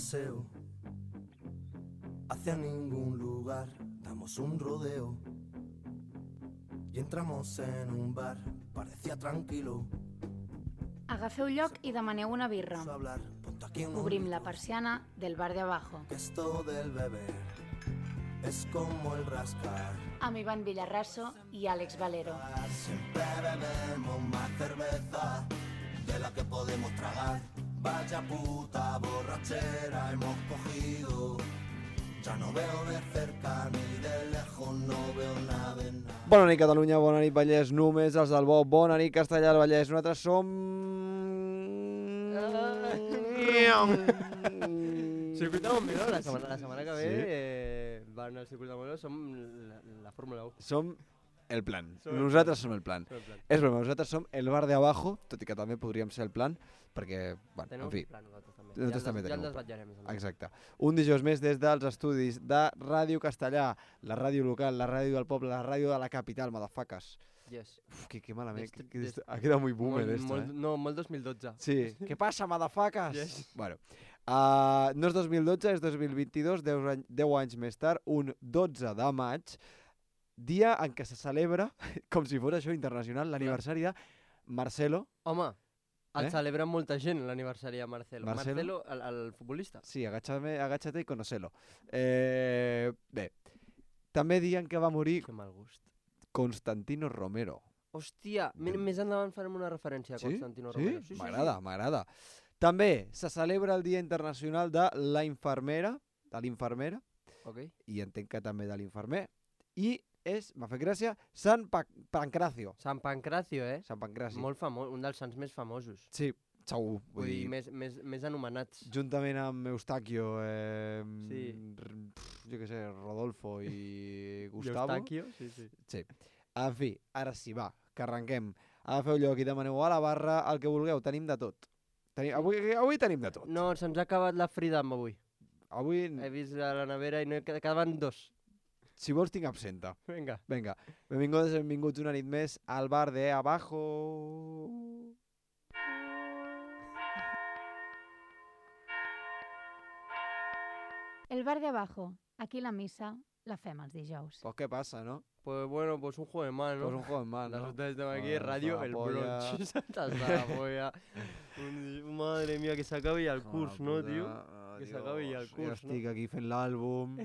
paseo hacia ningún lugar, damos un rodeo y entramos en un bar, parecía tranquilo. Agafeu lloc i demaneu una birra. Hablar, ponte aquí unos Obrim la litros, persiana del bar de abajo. que esto del beber es como el rascar. Amb Ivan Villarraso i Àlex Valero. Siempre bebemos más cerveza de la que podemos tragar. Vaya puta borrachera hemos cogido. Ya no veo de cerca ni de lejos, no veo nada de nada. Bona nit Catalunya, bona nit Vallès, només els del bo, bona nit Castellà del Vallès. Nosaltres som... Circuit de Montmeló, la setmana que ve van al Circuit de Montmeló, som la Fórmula 1. Som el plan. Som el Nosaltres som el plan. Som el plan. És broma, nosaltres som el bar de abajo, tot i que també podríem ser el plan, perquè, bueno, Tenim en fi, un plan nosaltres també. nosaltres també Ja tenim el un plan. desvetllarem. Exacte. Un dijous més des dels estudis de Ràdio Castellà, la ràdio local, la ràdio del poble, la ràdio de la capital, motherfuckers. Yes. Uf, qué malament, Des- ha quedat muy boomer esto, No, molt 2012. Sí, què passa, motherfuckers? Yes. Bueno, no és 2012, és 2022, 10 anys més tard, un 12 de maig, dia en què se celebra, com si fos això internacional, l'aniversari de Marcelo. Home, el Eh? celebra molta gent l'aniversari de Marcelo. Marcelo? El futbolista. Sí, agáchate y conocelo. Bé, també dia en què va morir Que mal gust. Constantino Romero. Hòstia, més endavant farem una referència a Constantino Romero. Sí? M'agrada, m'agrada. També se celebra el Dia Internacional de la Infermera, Ok. i entenc que també de l'infermer, i m'ha fet gràcia, Sant Pancracio. Sant Pancracio, Sant Pancraci. Molt famós, un dels sants més famosos. Sí, segur. Vull dir, més anomenats. Juntament amb Eustaquio, Sí. Jo què sé, Rodolfo i Gustavo. Eustaquio, sí. Sí. En fi, ara sí, va, que arrenquem. Agafeu lloc i demaneu a la barra el que vulgueu, tenim de tot. Avui tenim de tot. No, se'ns ha acabat la Freedom avui. Avui, He vist a la nevera i no quedaven dos. si vols, tinc absenta. Vinga. Vinga, benvinguts una nit més al bar de abajo. El bar de abajo. Aquí la missa la fem els dijous. Pues què passa, no? Pues bueno, pues un juego de mano. Pues un juego en mano, ¿no? Nosotros estamos aquí, Joder, Radio hasta la El polla. Brunch. Hasta la polla. Madre mía, que s'acabi ja el curs, no, tio? Que s'acabi ja el Jo curs, no? estic aquí fent l'àlbum.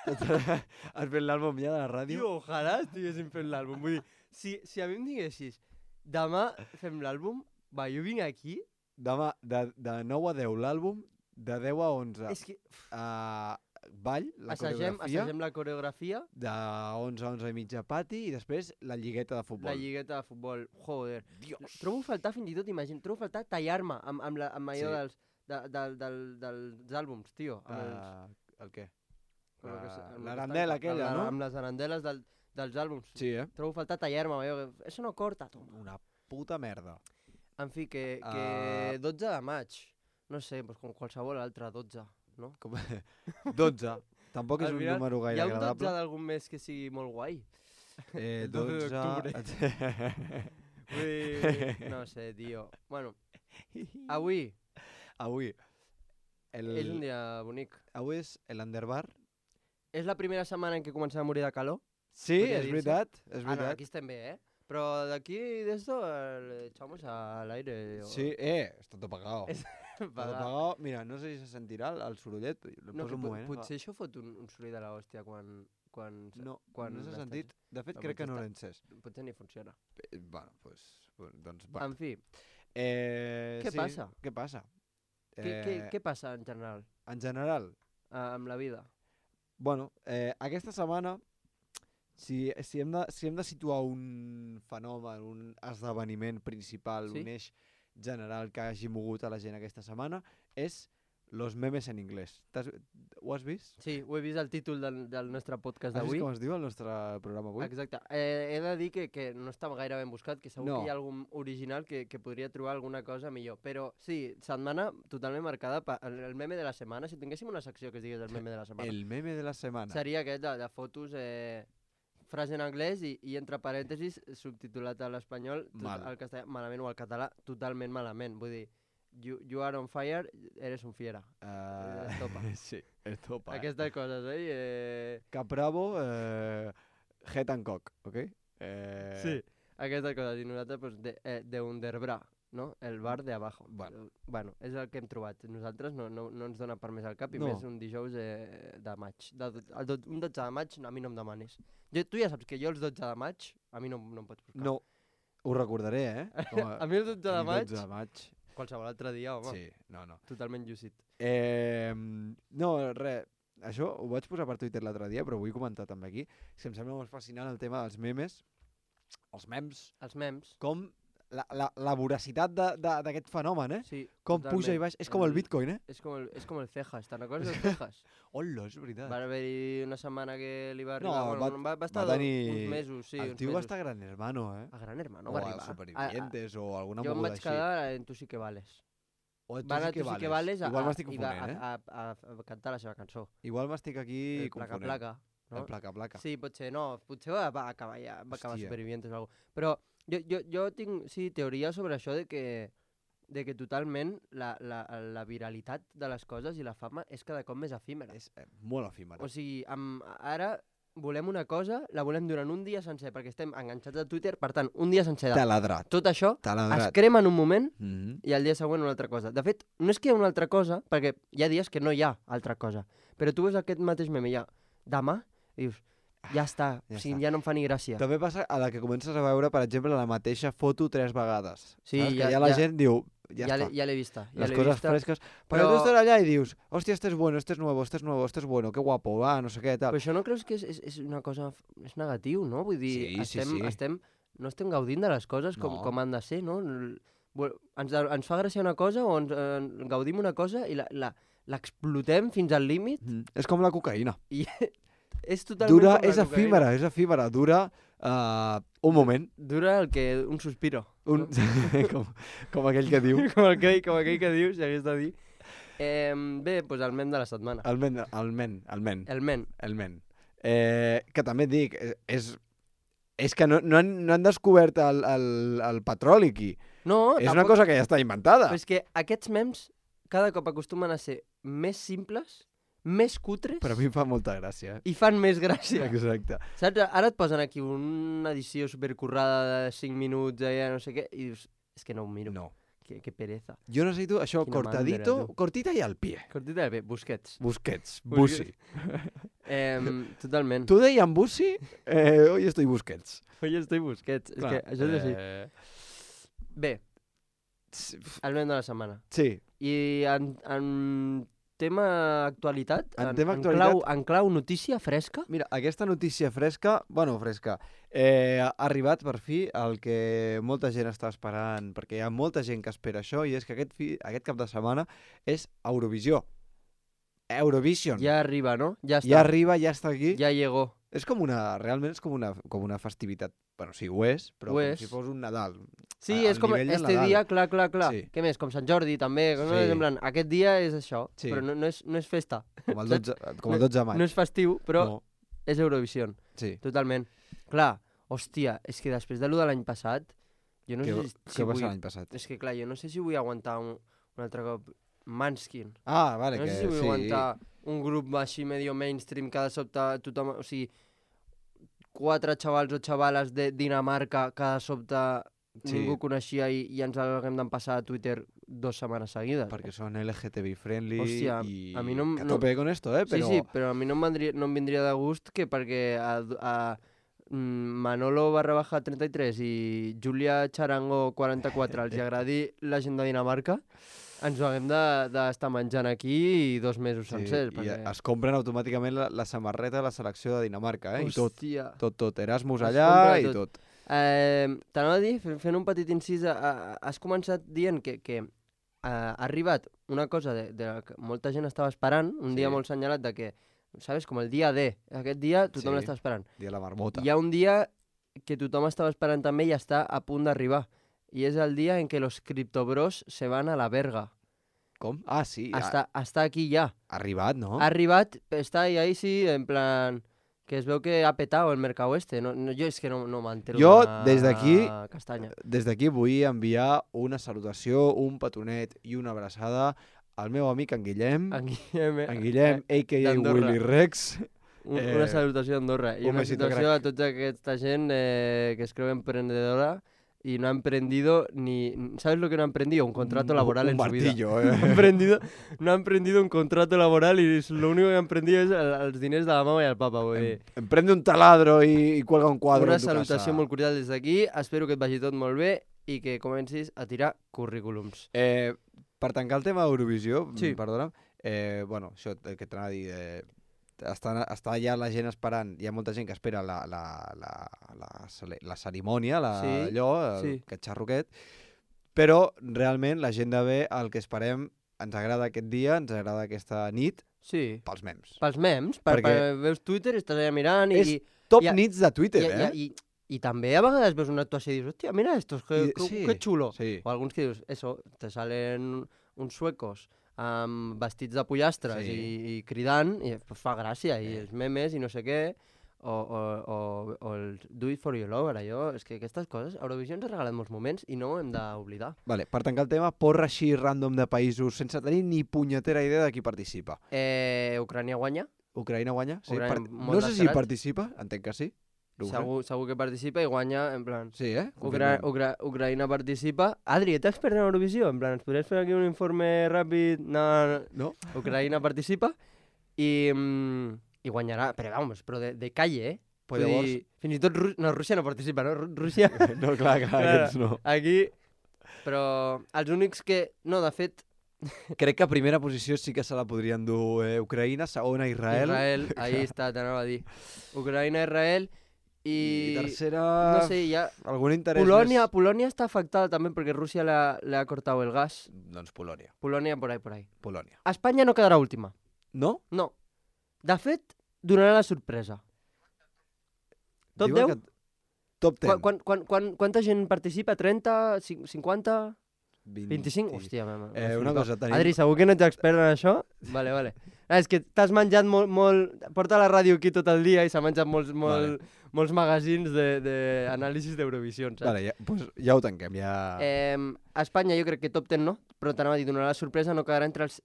Has fet l'àlbum ja de la ràdio? Tio, ojalà estiguéssim fent l'àlbum. Vull dir, si a mi em diguessis, demà fem l'àlbum, va, jo vinc aquí, Demà, de 9 a 10 l'àlbum, de 10 a 11 és que ball, la coreografia, assagem la coreografia, de 11 a 11 i mitja pati i després la lligueta de futbol. la lligueta de futbol. Joder. Dios! Trobo a faltar fins i tot, trobo a faltar tallar-me amb allò dels àlbums, tio. El què? Amb el que s- amb el que L'arandela està- aquella, amb no? Amb les arandeles dels àlbums. Sí, Trobo a faltar tallar-me amb allò. Eso no corta, toma. Una puta merda. En fi, que 12 de maig. No sé, doncs com qualsevol altre 12, no? Com... 12. Tampoc és Al un final, número Hi gaire ha un 12 agradable. d'algun mes que sigui molt guai. El 12 d'octubre. Vull dir, no sé, tio. Bueno, avui Avui. és un dia bonic. Avui és l'Underbar. És la primera setmana en què comencem a morir de calor. Sí, Podria és dir-se. veritat. És Ah, no, veritat. aquí estem bé, Però d'aquí d'esto le echamos al aire. Sí, està tot apagado. Tot apagado. Mira, no sé si se sentirà el sorollet. Lo No, poso un moment. potser això fot un soroll de l'hòstia quan No, quan no s'ha estàs- sentit. De fet, Però crec que no potser l'he encès. Potser ni funciona. Bueno, doncs... Va. En fi, Què passa? Què passa? què passa en general En general, amb la vida? bueno, aquesta setmana, si hem de situar un fenomen, un esdeveniment principal, Sí? un eix general que hagi mogut a la gent aquesta setmana, és los memes en anglès. Ho has vist? Sí, ho he vist al títol del nostre podcast Has vist d'avui. com es diu el nostre programa avui? Exacte. He de dir que no està gaire ben buscat, que segur No. que hi ha algun original que podria trobar alguna cosa millor. Però sí, setmana totalment marcada per el meme de la setmana. Si tinguéssim una secció que es digués el meme de la setmana, El meme de la setmana. seria aquest de fotos, frase en anglès i entre parèntesis subtitulat a l'espanyol, Mal. al castellà malament o al català totalment malament. Vull dir, you are on fire, eres un fiera. Estopa. Sí, estopa. Aquestes coses, Capravo, head and cock, ok? Sí, aquestes coses. I nosaltres, pues, de Underbra, no? El bar de abajo. Bueno, és el que hem trobat. Nosaltres no ens dona per més al cap i No. més un dijous de maig. Un 12 de maig a mi no em demanis. Tu ja saps que jo els 12 de maig a mi no em pots buscar. No, ho recordaré, A mi el 12 de maig, 12 de maig. qualsevol altre dia, home. Sí, no. Totalment llucit. No, res, això ho vaig posar per Twitter l'altre dia, però ho vull comentar també aquí. És que em sembla molt fascinant el tema dels memes, els memes, Els mems. com la voracitat d'aquest fenomen, Sí, Com totalment. puja i baix. És com el Bitcoin, És com el Cejas, te'n recordes del Cejas? Hola, és veritat. Va haver-hi una setmana que li va No, arribar... va estar va tenir... uns mesos, sí, el uns tio mesos. va estar a Gran Hermano, A Gran Hermano o va a arribar. Supervivientes o alguna Jo em moguda vaig així. quedar en Tu sí que vales. O Tu Va anar sí a Tu sí que vales Igual m'estic confonent, a cantar la seva cançó. Igual m'estic aquí Placa, confonent. placa. No? El placa. Sí, potser no. Potser va acabar Hòstia. Supervivientes o alguna cosa. Però jo tinc, teoria sobre això de que totalment la viralitat de les coses i la fama és cada cop més efímera. És molt efímera. O sigui, ara volem una cosa, la volem durant un dia sencer, perquè estem enganxats a Twitter, per tant, un dia sencer de Taladrat. tot això es Taladrat. crema en un moment Mhm. i al dia següent una altra cosa. De fet, no és que hi ha una altra cosa, perquè hi ha dies que no hi ha altra cosa, però tu veus aquest mateix meme ja demà i dius, ja està, ja o sigui, està. ja no em fa ni gràcia. També passa a la que comences a veure, per exemple, la mateixa foto 3 vegades. Sí, Saps? Que ja- ja la ja- gent diu, ja està. Ja l'he vista. Ja Les l'he coses vista. fresques. Però Però- tu estàs allà i dius, hòstia, este es bueno, este es nuevo, este es nuevo, este es bueno, qué guapo, va, no sé què, tal. Però això no creus que és una cosa... És negatiu, no? Vull dir, Sí. no estem gaudint de les coses No. com han de ser, no? Ens fa gràcia una cosa o ens gaudim una cosa i l'explotem fins al límit És com la cocaïna. i és totalment Dura, com la és cocaïna. efímera, dura un moment. Dura un suspiro. Un... com aquell que diu. com aquell que dius, si hagués de dir. Bé, doncs el mem de la setmana. El men. El men. Que també et dic, és que no han descobert el petroli aquí. No, És una cosa que ja està inventada. Però és que aquests mems cada cop acostumen a ser més simples, més cutres Però a mi em fa molta gràcia. i fan més gràcia. Exacte. Saps? Ara et posen aquí una edició supercurrada de 5 minuts, no sé què, i dius, és que no ho miro. No. Que pereza. Jo necessito això, Quina cortadito, mandra, tu. cortita i al pie. Cortita bé, Busquets. Busquets, Busquets. Bussi. Totalment. Tu deia en Bussi, hoy estoy Busquets. Oi, estoy Busquets. És que això és així. Bé, el mem de la setmana. Sí, I en tema actualitat, En tema actualitat- en clau notícia fresca, mira, aquesta notícia fresca, ha arribat per fi el que molta gent està esperant, perquè hi ha molta gent que espera això, i és que aquest cap de setmana és Eurovisió. Eurovision. ja arriba, no? Ja està. Ja arriba, ja està aquí. Ja llegó. És realment és com una festivitat. Bueno, sí, ho és, però Ho com és. si fos un Nadal. Sí, és com nivell del este Nadal. dia, clar. Sí. Què més? Com Sant Jordi, també. No? Sí. En plan, aquest dia és això, Sí. però no és festa. Com el 12 de maig. No és festiu, però No, és Eurovision. sí. Totalment. Clar, hòstia, és que després de lo de l'any passat, jo no sé si Què va vull... ser l'any passat? És que clar, jo no sé si vull aguantar un altre cop Manskin. Ah, vale, No que sé si vull sí. aguantar un grup així medio mainstream que de sobte tothom... O sigui, 4 xavals o xavales de Dinamarca que de sobte Sí. ningú coneixia i ens haguem d'empassar a Twitter 2 setmanes seguides. Perquè són LGTB friendly Hòstia, i a mi no em- que a no- tope con esto, però... Sí, però a mi no em vindria de gust que perquè Manolo _33 i Júlia Charango 44 els agradi la gent de Dinamarca, ens ho haguem d'estar menjant aquí 2 mesos sencers. I es compren automàticament la samarreta de la selecció de Dinamarca, i tot. Hòstia. Tot. Erasmus Es allà compra i tot. tot. T'anava a dir, fent un petit incís, has començat dient que ha arribat una cosa de la que molta gent estava esperant, un dia Sí. molt senyalat de que, sabes, com el dia D, aquest dia tothom Sí. l'estava esperant. Dia de la marmota. Hi ha un dia que tothom estava esperant també i està a punt d'arribar, i és el dia en què los criptobros se van a la verga. Com? Ah, sí. Està aquí ja. Ha arribat, no? Ha arribat, està ahí sí, en plan... que es veu que ha petado el mercado este. No, jo és que no m'entero Jo, una des d'aquí- castanya. Des d'aquí vull enviar una salutació, un petonet i una abraçada al meu amic en Guillem, En Guillem, a.k.a. d'Andorra. Willy Rex. Una salutació a Andorra. I un una besito, salutació a tota aquesta gent que es creu emprendedora y no ha emprendido ni... ¿Sabes lo que no ha emprendido? Un contrato laboral en su vida. martillo, No ha emprendido un contrato laboral y lo único que ha emprendido es els diners de la mama i el papa. Vull dir. Emprende un taladro i cuelga un quadre Una en tu casa. salutació molt cordial des d'aquí. Espero que et vagi tot molt bé i que comencis a tirar currículums. Per tancar el tema d'Eurovisió, Sí. perdona'm, bueno, això el que t'anava a dir, està ja la gent esperant, hi ha molta gent que espera la cerimònia, Sí, allò, sí. aquest xarroquet, però realment la gent de bé, el que esperem, ens agrada aquest dia, ens agrada aquesta nit, Sí. pels mems. Pels mems, Perquè- veus Twitter, estàs allà mirant i... És Top i- nits de Twitter, I també a vegades veus una actuació i dius, hòstia, mira estos, Sí. que xulo. Sí. O alguns que dius, eso, te salen uns suecos amb vestits de pollastres Sí. i cridant, i pues fa gràcia, i els memes i no sé què, o el do it for your lover, allò, és que aquestes coses, Eurovisió ens ha regalat molts moments i no ho hem d'oblidar. Vale, per tancar el tema, porra així random de països sense tenir ni punyetera idea de qui participa. Ucrània guanya, Ucraïna guanya? Sí, Ucraïna, molt no sé si esperat. participa, entenc que sí. segur que participa i guanya, en plan... Sí, Ucraïna participa. Adri, ets expert en Eurovisió? En plan, ens podries fer aquí un informe ràpid? No. No? Ucraïna participa i guanyarà, però de calle, Pues Vull llavors... dir, fins i tot Rússia no participa, no? Rússia... No, clar, aquests no. Aquí... Però els únics que... No, de fet, Crec que a primera posició sí que se la podrien dur Ucraïna, segona Israel. Israel, ahí està, t'anava a dir. Ucraïna, Israel I i... tercera... No sé, ja... Algun interès Polònia està afectada també perquè Rússia le ha cortat el gas. Doncs Polònia. Polònia por ahí. Polònia. Espanya no quedarà última. No? No. De fet, donarà la sorpresa. Top Diuen 10? que- Top 10. Quanta gent participa? 30? 50? 20. 25? Hòstia, mama. Una cosa, tenim... Adri, segur que no ets expert en això? Vale. És que t'has menjat molt... Porta la ràdio aquí tot el dia i s'ha menjat molts magazins d'anàlisis d'Eurovisió, saps? Vale, pues ja ho tanquem, ja... Espanya jo crec que top 10 no, però t'anava a dir, donarà la sorpresa, no quedarà entre els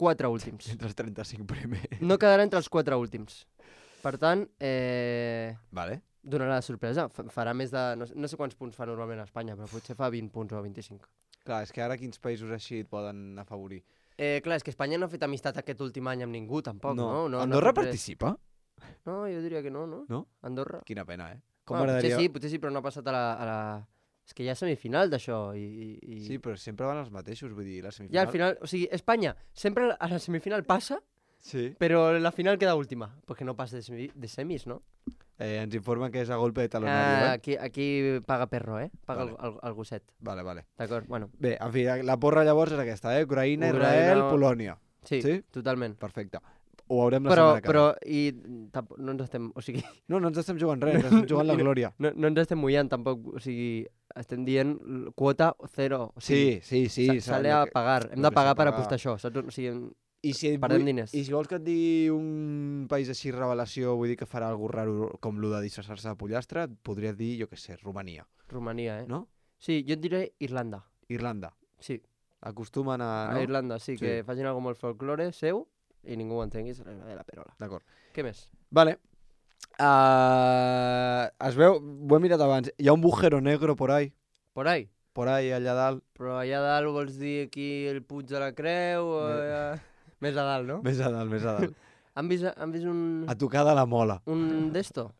4 últims. Entre els 35 primers. No quedarà entre els 4 últims. Per tant, Vale. donarà la sorpresa. Farà més de... No sé quants punts fa normalment a Espanya, però potser fa 20 punts o 25. Clar, és que ara quins països així et poden afavorir? Clar, és que Espanya no ha fet amistat aquest últim any amb ningú, tampoc, no? Andorra ha fet res. participa? No, jo diria que no. No? Andorra. Quina pena, Com Bueno, m'agradaria... potser sí, però no ha passat a la... És que hi ha semifinal d'això i... Sí, però sempre van els mateixos, vull dir, la semifinal... Ja al final, o sigui, Espanya sempre a la semifinal passa, Sí. però la final queda última, perquè no passa de semis, no? Ens informen que és a golpe de talonario, Aquí paga perro, Paga Vale. el gosset. Vale. D'acord, bueno. Bé, en fi, la porra llavors és aquesta, Ucraïna, Ucraïna, Israel, Polònia. Sí, Sí? totalment. Perfecte. Ho veurem la setmana que ve. No ens estem, o sigui, No ens estem jugant res, ens estem jugant la glòria. no ens estem mullant tampoc, o sigui, estem dient quota 0. O sigui, Sí. sale a pagar, hem de pagar per apostar això, saps? O sigui, I si, perdem diners. I si vols que et digui un país així revelació, vull dir que farà algú raro com lo de disfressar-se de pollastre, et podria dir, jo què sé, Romania, Romania, no? Sí, jo et diré Irlanda. Irlanda. Sí, Acostumen a... a No? Irlanda, sí, Sí. que facin alguna molt folklore seu i ningú ho entengui, serà de la perola. D'acord. Què més? Vale. Es veu, ho he mirat abans, hi ha un bujero negro por ahí, Por ahí. allà dalt, Però allà dalt vols dir aquí el Puig de la Creu o allà... Més a dalt, no? més a dalt. Han vist un... A tocar de la mola. Un d'esto?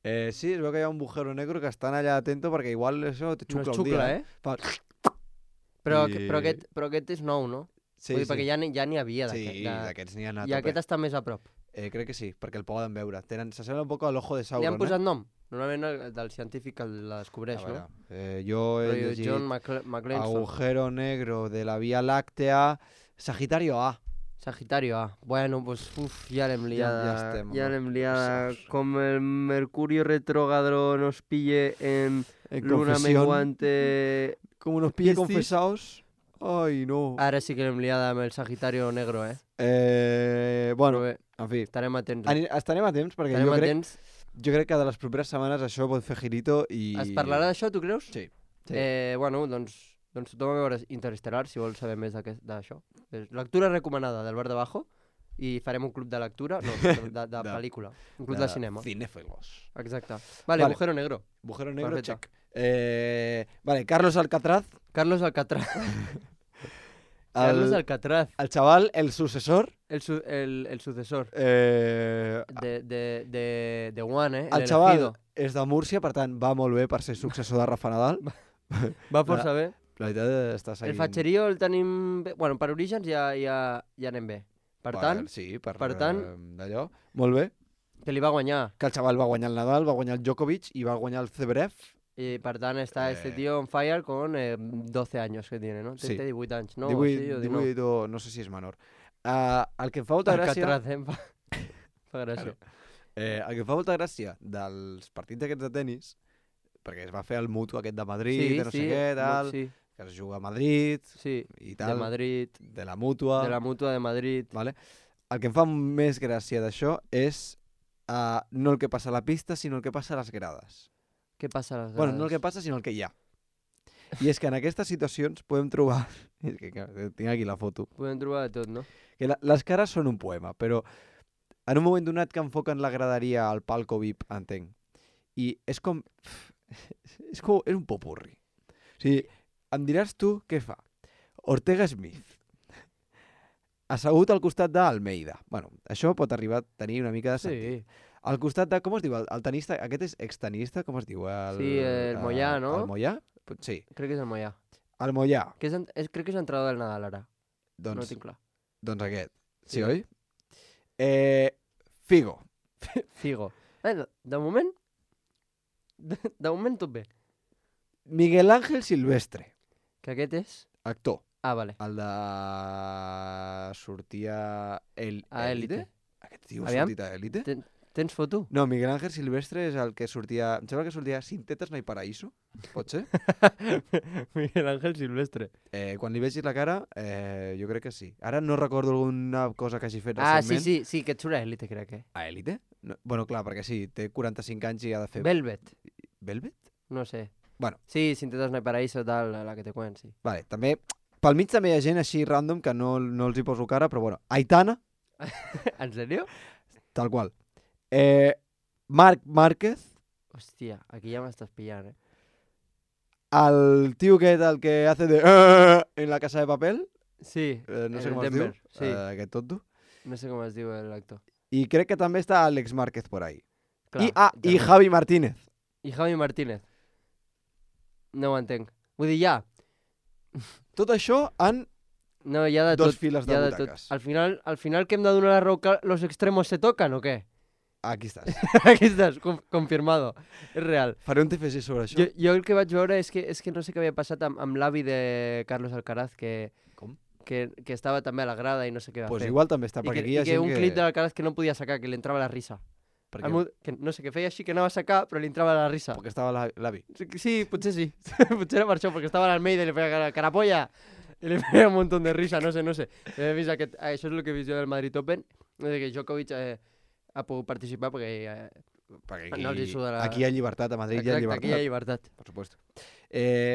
Sí, es veu que hi ha un bujero negro que estan allà atento perquè igual això te No xucla és un dia. xucla, Fa... Però, I- però aquest és nou, no? Sí, Vull dir, perquè ja n'hi havia Sí, d'aquest. d'aquests n'hi ha anat I aquest està més a prop. crec que sí, perquè el poden veure. S'assembla un poc a l'ojo de Li Sauron, han posat nom? Normalment el del científic el la descobreix, A veure, no? jo he Rotllo llegit John McLeanson. agujero negro de la Vía Láctea, Sagitario A. Sagitario A. Bueno, pues ya l'hem liada. ja estem, Ya home. l'hem liada. Saps. Com el Mercurio retrógrado nos pille en En luna confesión, menguante... como nos pille Piscis. confesados, Ai, no. Ara sí que l'hem liada amb el Sagitario Negro, Bueno, Però bé, en fi. estarem atents. Estarem a temps perquè Estarem atents. jo crec que de les properes setmanes això pot fer girito i... Es parlarà d'això, tu creus? Sí. Bueno, doncs tothom a veure Interestelar, si vols saber més d'això. Lectura recomanada del Bar de Bajo i farem un club de lectura, no, de pel·lícula, un club de cinema. Cinéfilos. Exacte. Vale, Agujero Negro. Agujero negro, Perfecte. check. Vale, Carlos Alcatraz. Carlos Alcatraz. Carlos Alcatraz. El chaval, el sucesor. El sucesor El de One, xaval és de Múrcia, per tant, va molt bé per ser successor de Rafa Nadal. Va força bé. La veritat està seguint... El fatxerío el tenim bé. Bueno, per orígens ja anem bé. Per tant, sí, per tant, d'allò, molt bé. que li va guanyar. Que el xaval va guanyar el Nadal, va guanyar el Djokovic i va guanyar el Zverev. Y per tant está este tío on fire con 12 años que tiene, ¿no? Sí. Té 18 anys, no? 18 no sé si és menor. El que em fa molta gràcia... Alcatraz, fa gràcia. El que em fa molta gràcia dels partits aquests de tennis, perquè es va fer el mutu aquest de Madrid, de no sé què, tal, que es juga a Madrid i tal. De Madrid. De la mútua. De la mútua de Madrid. Vale? El que em fa més gràcia d'això és no el que passa a la pista, sinó el que passa a les grades. Què passa a les grades? Bueno, no el que passa, sinó el que hi ha. I és que en aquestes situacions podem trobar... És que tinc aquí la foto. Podem trobar de tot, no? Que les cares són un poema, però en un moment donat que enfoquen la graderia al palco VIP, entenc. I és com... És un popurri. O sigui, em diràs tu què fa. Ortega Smith, assegut al costat d'Almeida. Bueno, això pot arribar a tenir una mica de sentit. Sí. Al costat de... Com es diu? El tenista... Aquest és extenista? Com es diu? El Moyà, no? El Moyà? Sí. Crec que és el Moyà. El Moyà. Crec que és entrenador del Nadal, ara. Doncs, no ho tinc clar. Doncs aquest. Sí, oi? Figo. Figo. De moment... De moment tot bé. Miguel Ángel Silvestre. Que aquest és? Actor. Ah, vale. El de... Sortia... A Élite. Aquest tio ha sortit a Élite? Tens foto? No, Miguel Ángel Silvestre és el que sortia... Em sembla que sortia Sin tetas no hay paraíso. Pot ser? Miguel Ángel Silvestre. Quan li vegis la cara, jo crec que sí. Ara no recordo alguna cosa que hagi fet recentment. Sí, que et surt a Élite, crec, A Élite? No, bueno, clar, perquè sí, té 45 anys i ha de fer... Velvet. Velvet? No sé. Bueno. Sí, Sin tetas no hay paraíso, tal, la que te cuen, sí. Vale, també... Pel mig també hi ha gent així random que no els hi poso cara, però bueno. Aitana. ¿En serio? Tal qual. Marc Márquez. Hòstia, aquí ja m'estàs pillant, El tio aquest, el que hace de... en la casa de papel. Sí, no sé el com es Denver, diu. sí. Aquest tonto. No sé com es diu l'actor. I crec que també està Àlex Márquez por ahí. Clar, I Javi Martínez. I Javi Martínez. No ho entenc. Vull dir, ja. Tot això en No, hi ha de dos tot. files de butaques. Al final que hem de donar la raó que los extremos se tocan o què? Aquí estàs. Aquí estàs, confirmado. És real. Faré un TFG sobre això. Jo el que vaig veure és que no sé què havia passat amb l'avi de Carlos Alcaraz, que estava també a la grada i no sé què va Pues fer. igual també està, perquè aquí hi ha gent un clip de l'Alcaraz que no podia sacar, que li entrava la risa. Que no sé, que feia així que anava a sacar, però li entrava la risa. Perquè estava l'avi. Sí, potser sí. Potser era per això, perquè estava a l'Almeida i li feia carapolla. I li feia un munt de risa, no sé. He vist això és el que he vist jo del Madrid Open, que Djokovic ha pogut participar perquè no els hi suda aquí hi ha llibertat, a Madrid. Exacte, hi ha llibertat. aquí hi ha llibertat. Per supuesto.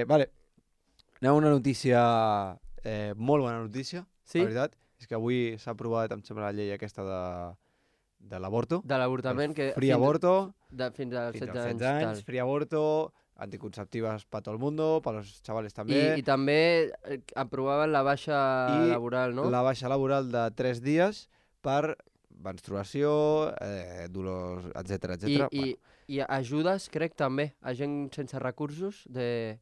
Vale. Anem a una notícia, molt bona notícia, sí? la veritat. És que avui s'ha aprovat, em sembla, la llei aquesta de l'avorto. De l'avortament. Free aborto. Fins als 16 anys. Free aborto, anticonceptivas para todo el mundo, para los chavales també. I també aprovaven la baixa laboral, no? La baixa laboral de 3 dies per menstruació, dolors, etc. I ajudes, crec, també, a gent sense recursos de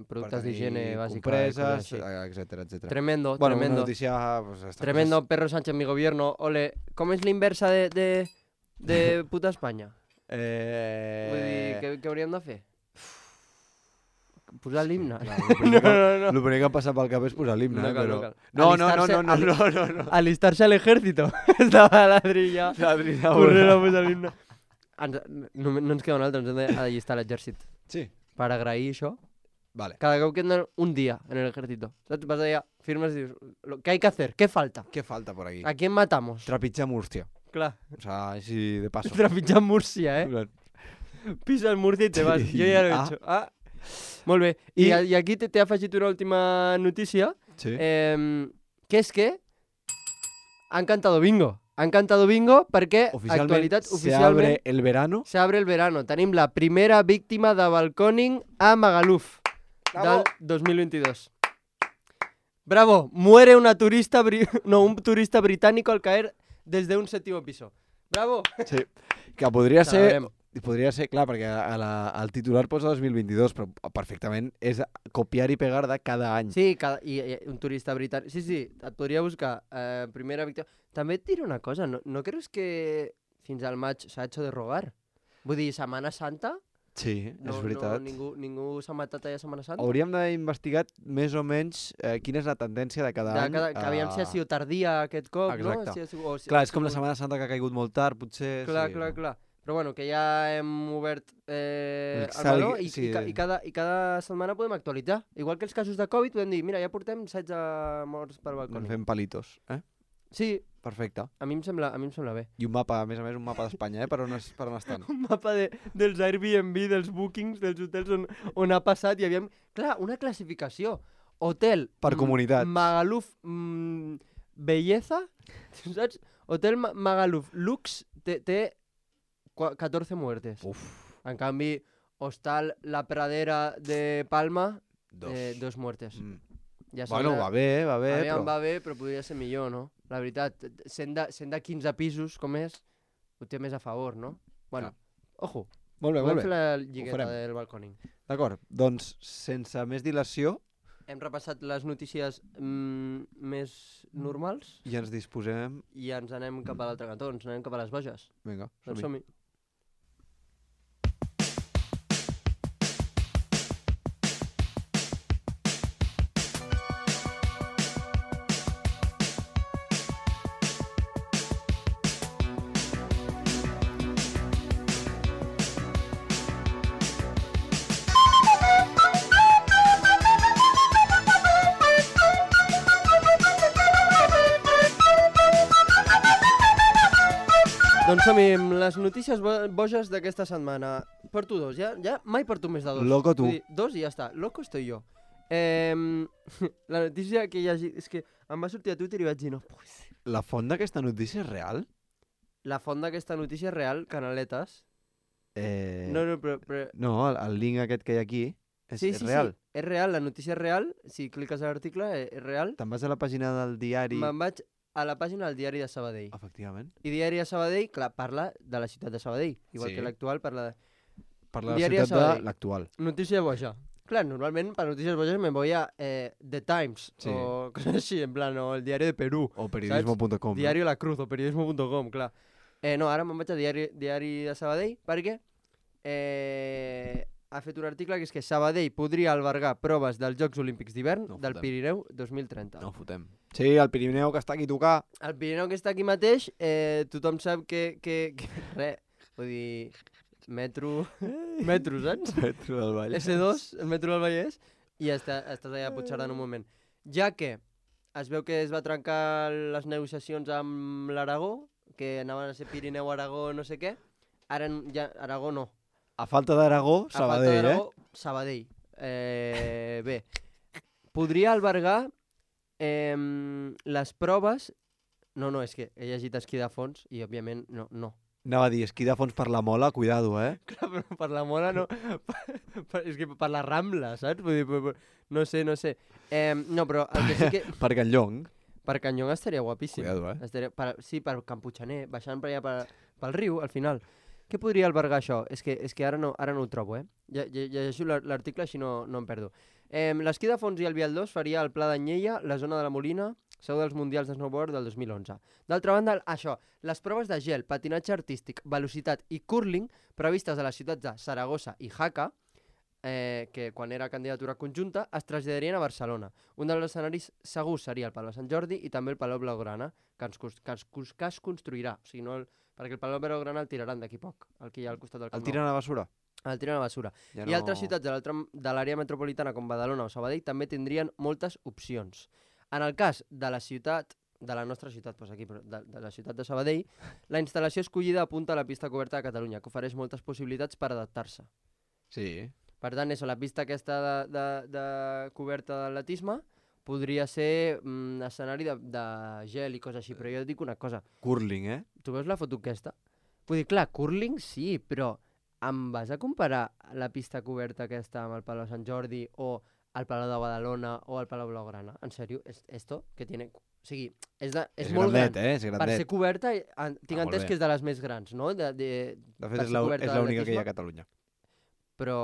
productes d'higiene bàsica. Compreses, etc. Tremendo, bueno, tremendo. Una noticia, pues, tremendo, cosas... Perro Sánchez, mi gobierno. Ole, ¿cómo es la inversa de puta Espanya? Vull dir, què hauríem de fer? Posar l'himne? El primer que em passa pel cap és posar l'himne. No. Alistarse al ejército. Estava ladrilla. Corrent a posar l'himne. No ens queda un altre, ens hem d'allistar a l'exèrcit. Sí. Per agrair això. Vale. Cada cop que et donen un dia en el ejército. Saps? Vas allà, firmes i dius, ¿qué hay que hacer? ¿Qué falta? ¿Qué falta por aquí? ¿A quién matamos? Trapitjar Múrcia. Clar, O sea, així de paso. trepitjar Múrcia, Pisas Múrcia i te vas. Sí. Jo ja l'he Ah. hecho. Ah. Molt bé. I aquí t'he afegit una última notícia, Sí. que és que han cantado bingo. Han cantado bingo perquè actualitat se oficialment abre el verano. s'abre el verano. Tenim la primera víctima de balconing a Magaluf del 2022. Bravo, muere un turista británico al caer desde un séptimo piso. Bravo. Sí. Que podria Celebrem. ser, clar, perquè al titular posa 2022, però perfectament és copiar i pegar de cada any. Sí, i un turista britànic. Sí, et podria buscar primera víctima. També et diré una cosa, no creus que fins al maig s'ha hecho de rogar? Vull dir, Setmana Santa? Sí, No, és veritat. Ningú s'ha matat allà a Setmana Santa? Hauríem d'haver investigat més o menys quina és la tendència de cada any. Que aviam si ha sigut tardia aquest cop, Exacte. no? Si ha sigut, Clar, és com la Setmana Santa que ha caigut molt tard, potser. Clar, sí. clar. Però bueno, que ja hem obert el salgui- meló i, sí. i cada setmana podem actualitzar. Igual que els casos de Covid, podem dir, mira, ja portem 16 morts per balcó. Doncs fem palitos, Sí, Perfecte. a mi em sembla bé. I un mapa, a més, un mapa d'Espanya, per on estan. Un mapa dels Airbnb, dels bookings, dels hotels on ha passat i aviam... Clar, una classificació. Hotel... Per comunitats. Magaluf Belleza, saps? Hotel Magaluf Lux té 14 muertes. Uf, En canvi, Hostal La Pradera de Palma, 2 muertes. Mm. Ja Bueno, va bé, Aviam, però... va bé, però podria ser millor, no? La veritat, sent de 15 pisos, com és, ho té més a favor, no? Bueno, ojo, Molt bé, podem molt fer bé. la Ho lligueta farem. del balconing. D'acord, doncs, sense més dilació, Hem repassat les notícies més normals i ens disposem... i ens anem cap a l'altre cantó, ens anem cap a les boges. Vinga, Doncs som-hi. som-hi. Doncs som-hi amb les notícies boges d'aquesta setmana. Porto dos, ja mai porto més de dos. Loco tu. Vull dir, dos i ja està. Loco estoy yo. La notícia que hi ha... És que em va sortir a Twitter i vaig dir, no puc ser. La font d'aquesta notícia és real? La font d'aquesta notícia és real, Canaletes. No, però... No, el link aquest que hi ha aquí és real. Sí, és real, la notícia és real. Si cliques a l'article, és real. Te'n vas a la pàgina del diari... Me'n vaig a la pàgina del Diari de Sabadell. Efectivament. I Diari de Sabadell, clar, parla de la ciutat de Sabadell. Igual Sí. que l'actual parla de... Parla de la Diari de ciutat de Sabadell. l'actual. Notícia boja. Clar, normalment per notícies bojas me voy a The Times Sí. o cosas así, en plan, o el Diario de Perú. O periodismo.com. Diario La Cruz o periodismo.com, clar. No, ara me'n vaig a Diari de Sabadell perquè ha fet un article que és que Sabadell podria albergar proves dels Jocs Olímpics d'hivern No del fotem. Pirineu 2030. No fotem. Sí, el Pirineu que està aquí a tocar. El Pirineu que està aquí mateix, tothom sap que res, vull dir, metro, saps? Metro del Vallès. S2, el metro del Vallès, i estàs allà a Puigcerdà en un moment. Ja que es veu que es va trencar les negociacions amb l'Aragó, que anaven a ser Pirineu-Aragó no sé què, ara ja Aragó no. A falta d'Aragó, A falta Sabadell, d'Aragó, Sabadell. Bé, podria albergar les proves... No, és que he llegit esquí de fons i, òbviament, no. Anava a dir, esquí de fons per la mola, cuidado, Clar, però per la mola no... és que per la Rambla, saps? Vull dir, no sé. No, però el que sí que... Per Can Llong. Per Canyón estaria guapíssim. Cuidado, Estaria, sí, per Can Puiggener, baixant per allà pel riu, al final. Què podria albergar això? És que ara no ho trobo, Llegeixo l'article, així no em perdo. L'esquí de fons i el Vial 2 faria el Pla d'Anyella, la zona de la Molina, seu dels Mundials de Snowboard del 2011. D'altra banda, això, les proves de gel, patinatge artístic, velocitat i curling previstes a les ciutats de Saragossa i Jaca, que quan era candidatura conjunta, es traslladarien a Barcelona. Un dels escenaris segurs seria el Palau Sant Jordi i també el Palau Blaugrana, que es construirà. O sigui, perquè el Palau Blaugrana el tiraran d'aquí poc, el que hi ha al costat del Camp El tiren a la basura? el tiren a la basura. Ja I altres ciutats de l'àrea metropolitana com Badalona o Sabadell també tindrien moltes opcions. En el cas de la ciutat, de la nostra ciutat, doncs aquí, però de la ciutat de Sabadell, la instal·lació escollida apunta a la pista coberta de Catalunya, que ofereix moltes possibilitats per adaptar-se. Sí. Per tant, la pista aquesta de coberta d'atletisme podria ser escenari de gel i coses així, però jo et dic una cosa. Curling, Tu veus la foto aquesta? Vull dir, clar, curling sí, però em vas a comparar la pista coberta aquesta amb el Palau Sant Jordi o el Palau de Badalona o el Palau Blaugrana? En sèrio? Esto que tiene... O sigui, és molt grandet, gran. És Per grandet. ser coberta, tinc molt entès bé. que és de les més grans, no? De per fet, ser coberta és l'única que hi ha d'atletisme. a Catalunya. Però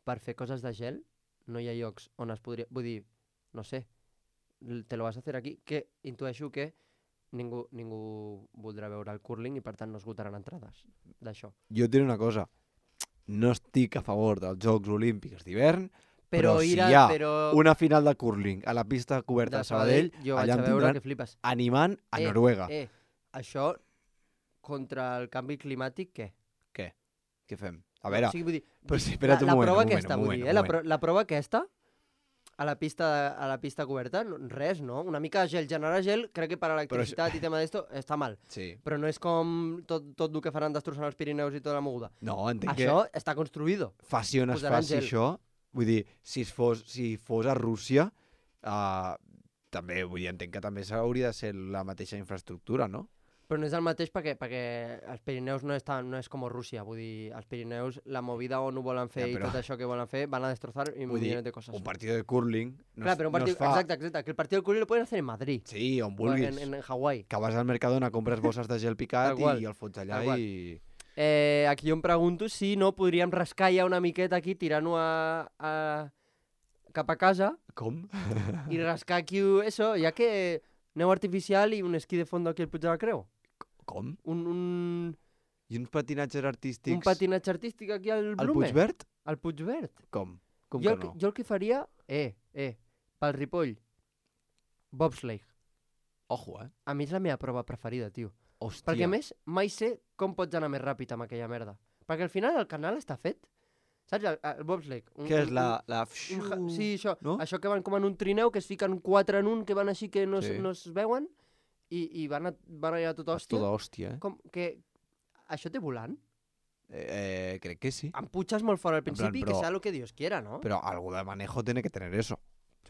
per fer coses de gel no hi ha llocs on es podria... Vull dir, no sé, te lo vas a hacer aquí, que intueixo que ningú voldrà veure el curling i per tant no esgotaran entrades d'això. Jo et diré una cosa. No estic a favor dels Jocs Olímpics d'hivern, però si hi ha una final de curling a la pista coberta de Sabadell, jo vaig allà a em veure tindran que flipes. animant a Noruega. Això contra el canvi climàtic, què? Què fem? A veure, O sigui, vull dir, però sí, espera't un la moment, prova un moment, aquesta, un vull moment, dir, un moment. la prova aquesta a la pista coberta, res, no? Una mica de gel, generar gel, crec que per a l'electricitat i tema d'esto està mal. Sí. Però no és com tot el que faran destrossant els Pirineus i tota la moguda. No, entenc Això que està construïdo. faci on es posaran faci gel. això. Vull dir, si fos a Rússia, també, vull dir, entenc que també hauria de ser la mateixa infraestructura, no? Però no és el mateix perquè els Pirineus no és com Rússia. Vull dir, els Pirineus, la movida on ho volen fer Ja, però- i tot això que volen fer, van a destrossar un Vull dir, milió de coses. un partit de curling Clar, però un partit, es fa... exacte, que el partit del curling lo pueden hacer en Madrid. Sí, on O vulguis. en Hawái. Que vas al Mercadona, compres bosses de gel picat Tal qual, i el fots allà tal qual. i... Aquí jo em pregunto si no podríem rascar ja una miqueta aquí, tirant-ho cap a casa Com? i rascar aquí eso, ja que neu artificial i un esquí de fondo aquí al Puig de la Creu. Com? Un I uns patinatges artístics patinatge artístic aquí al al Blume. Puigverd? Al Puigverd. Com? Com Jo, que no? jo el que faria, pel Ripoll, bobsleigh. Ojo, A mi és la meva prova preferida, tio. Hòstia. Perquè a més, mai sé com pots anar més ràpid amb aquella merda. Perquè al final el canal està fet. Saps? El bobsleigh. Què és la... Sí, això. No? Això que van com en un trineu, que es fiquen 4 en un, que van així que no, Sí. no es veuen, i van allà tot És hòstia. tota hòstia, Com que... Això té volant? Crec que sí. Em putxes molt fora al plan, principi, que però- sea lo que Dios quiera, no? Però algo de manejo tiene que tener eso.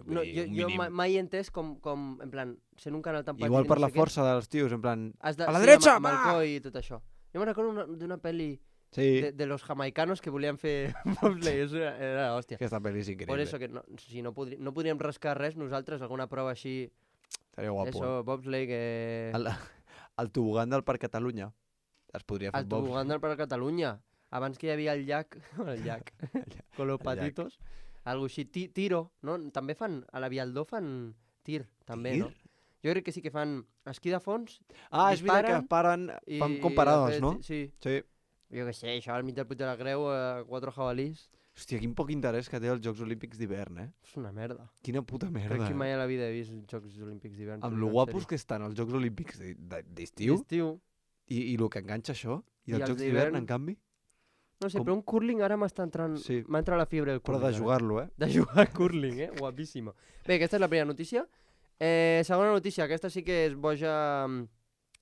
Vull No, dir, un jo mínim. mai he entès com, en plan, sent un canal tan petit... Igual i per no la sé què, força dels tios, en plan... has de, a la sí, dreta, amb el va! coll i tot això. Jo me'n recordo d'una pel·li Sí, de los jamaicanos que volien fer bobsleigh, eso era hòstia. aquesta pel·li és increïble. Por eso que no, si no podríem rascar res nosaltres, alguna prova així, Estaria guapo. eso, bobsleigh, El tobogan del Parc Catalunya es podria fer el tobogan del Parc Catalunya. Abans que hi havia el llac, con los El llac. patitos, algo així, tiro, no? També fan, a la Vialdó fan tir, també, Tir? no? Jo crec que sí que fan esquí de fons Ah, és veritat que disparen paren, fan comparades, no? Sí. Sí. Jo què sé, això al mig del Puig de la Creu, 4 jabalís, Hòstia, quin poc interès que té els Jocs Olímpics d'hivern, és una merda. Quina puta merda. Crec que mai a la vida he vist Jocs Olímpics d'hivern. Amb t'ho lo dic en guapos sèrio. que estan els Jocs Olímpics d'estiu D'estiu. i lo que enganxa això, i I els els Jocs d'hivern, d'hivern, en canvi, No sé, Com- però un curling ara m'està entrant... Sí. M'ha entrat la fiebre del però curling. de ara. jugar-lo, De jugar a curling, Guapíssima. Bé, aquesta és la primera notícia. Segona notícia, aquesta sí que és boja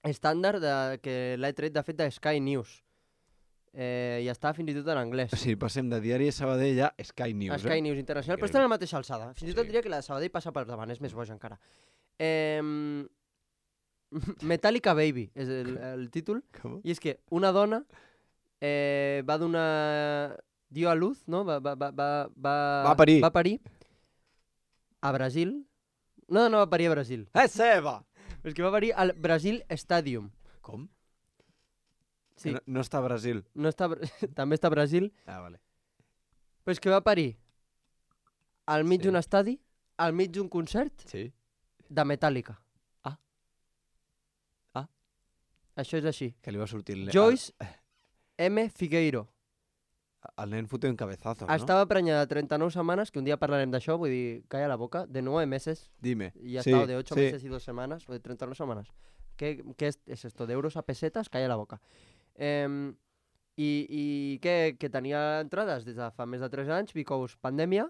estàndard, que l'he tret, de fet, de Sky News. I està fins i tot en anglès. Sí, passem de Diari de Sabadell a Sky News, Sky News Internacional, però Increïble. estan a la mateixa alçada. Fins i tot Sí. diria que la de Sabadell passa per davant, és més boja encara. Metallica Baby és el títol. Com? I és que una dona va donar... Dio a luz, no? Va parir. Va parir a Brasil. No va parir a Brasil. És seva! És que va parir al Brasil Stadium. Com? Sí, Que no està a Brasil. no està, també està a Brasil. Ah, vale. Però és que va parir al mig Sí. d'un estadi, al mig d'un concert Sí. de Metallica. Ah. Ah. Això és així. Que li va sortir... Joyce M. Figueiro. El nen foté un cabezazo, no? Estava prenyada de 39 setmanes, que un dia parlarem d'això, vull dir, calla la boca, de 9 meses, Dime. y ha Sí, estado de 8 sí. meses y 2 semanas, o de 39 semanas. ¿Qué es esto? ¿De euros a pesetas? Calla la boca. I què? Que tenia entrades des de fa més de 3 anys, because pandèmia,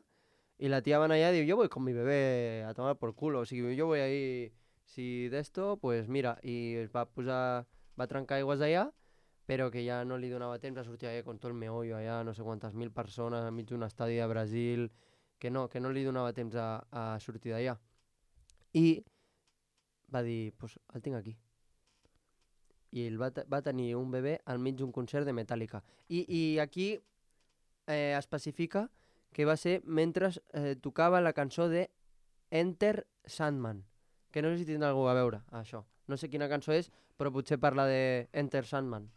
y la tía van allá y digo, yo voy con mi bebé a tomar por culo, o sigui, yo voy ahí, si d'esto, pues mira, i es va posar, va trencar aigües allà, però que ja no li donava temps a sortir allà con tot el meollo allà, no sé quantes mil persones enmig d'un estadi de Brasil, que no li donava temps a sortir d'allà. I va dir, pues el tinc aquí. I ell va tenir un bebè al mig d'un concert de Metallica. I aquí especifica que va ser mentre tocava la cançó de Enter Sandman, que no sé si tindrà algú a veure, això. No sé quina cançó és, però potser parla de Enter Sandman.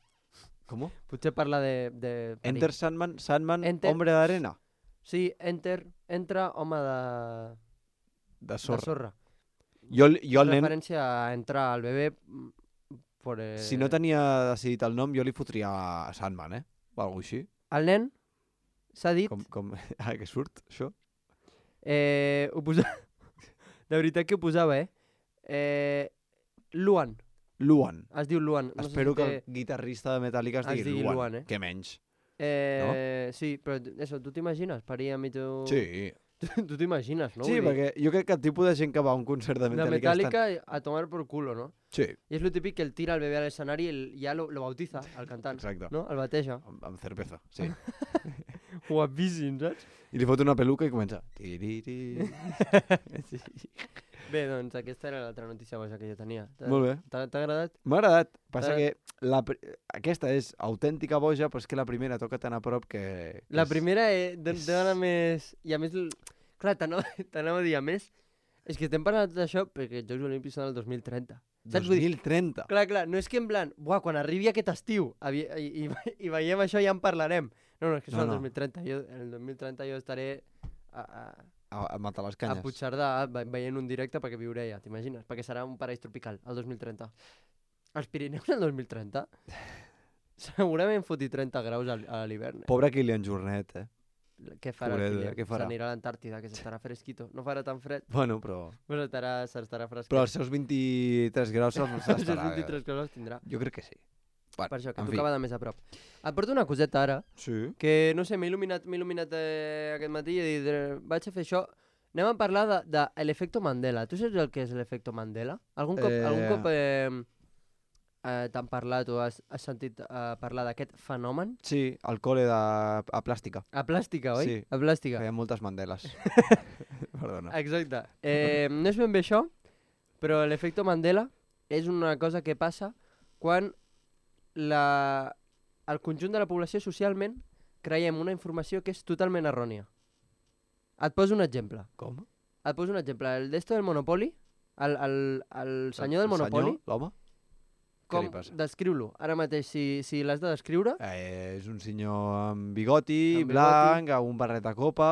Com? Potser parla de perill. Enter Sandman, Enter- Hombre d'Arena. Sí, entra home De de sorra. sorra. Jo el nen, Referència a entrar al bebè por, si no tenia decidit el nom, jo li fotria a Sandman, o alguna així. El nen s'ha dit... Com... que surt, això? Ho posava... De veritat que ho posava, Luan. Luan. Es diu Luan. No Espero sé si que el guitarrista de Metallica es digui digui Luan. Luan, Que menys. Sí, però això, tu t'imagines? Parir a mig... Sí. Tu t'imagines, no? Sí, Vull dir, perquè jo crec que el tipus de gent que va a un concert de de Metallica... Metallica a tomar por culo, no? Sí, I és lo típic que el tira el bebè a l'escenari i ja lo bautiza, el cantant. exacte. No? El bateja. Amb cerveza, sí. Guapíssim, saps? I li fot una peluca i comença... Tiriri. Sí. Bé, doncs aquesta era l'altra notícia boja que jo tenia. Molt bé. T'ha agradat? M'ha agradat. Passa T'ha que aquesta és autèntica boja, però és que la primera toca tan a prop que... La primera dona més... I a més, clar, t'anava a dir, a més, és que estem parlant de tot això perquè els Jocs Olímpics són el 2030. Saps? Vull dir, 2030. clar, no és que en plan, buah, quan arribi aquest estiu i veiem això ja en parlarem. No, és que són No, el no. 2030. En el 2030 jo estaré A matar les a canyes. Puigcerdà veient un directe perquè viuré allà, t'imagines? Perquè serà un paraís tropical, el 2030. Els Pirineus el 2030? Segurament foti 30 graus a l'hivern. Pobre Kilian Jornet, Què farà Pobret, el Kilian? què farà? S'anirà a l'Antàrtida, que s'estarà fresquito. No farà tan fred, Bueno, però però s'estarà fresquet. els seus 23 graus se'ls Els estarà... 23 graus tindrà. Jo crec que sí. Bueno, Per això, que en fi. tocava de més a prop. Et porto una coseta ara, Sí. que no sé, m'he il·luminat aquest matí i he dit, vaig a fer això. Anem a parlar de l'efecte Mandela. Tu saps el que és l'efecte Mandela? Algun cop t'han parlat o has sentit parlar d'aquest fenomen? Sí, al col·le a plàstica. A plàstica, oi? Sí. A plàstica. Feia moltes Mandeles. Perdona. Exacte. No és ben bé això, però l'efecte Mandela és una cosa que passa quan el conjunt de la població socialment creiem una informació que és totalment errònia. Et poso un exemple. Com? Et poso un exemple. El d'esto del Monopoly, el senyor del Monopoly, L'home? Què com li passa? descriu-lo? Ara mateix, si l'has de descriure, És un senyor amb bigoti, Amb bigoti. blanc, amb un barret a copa,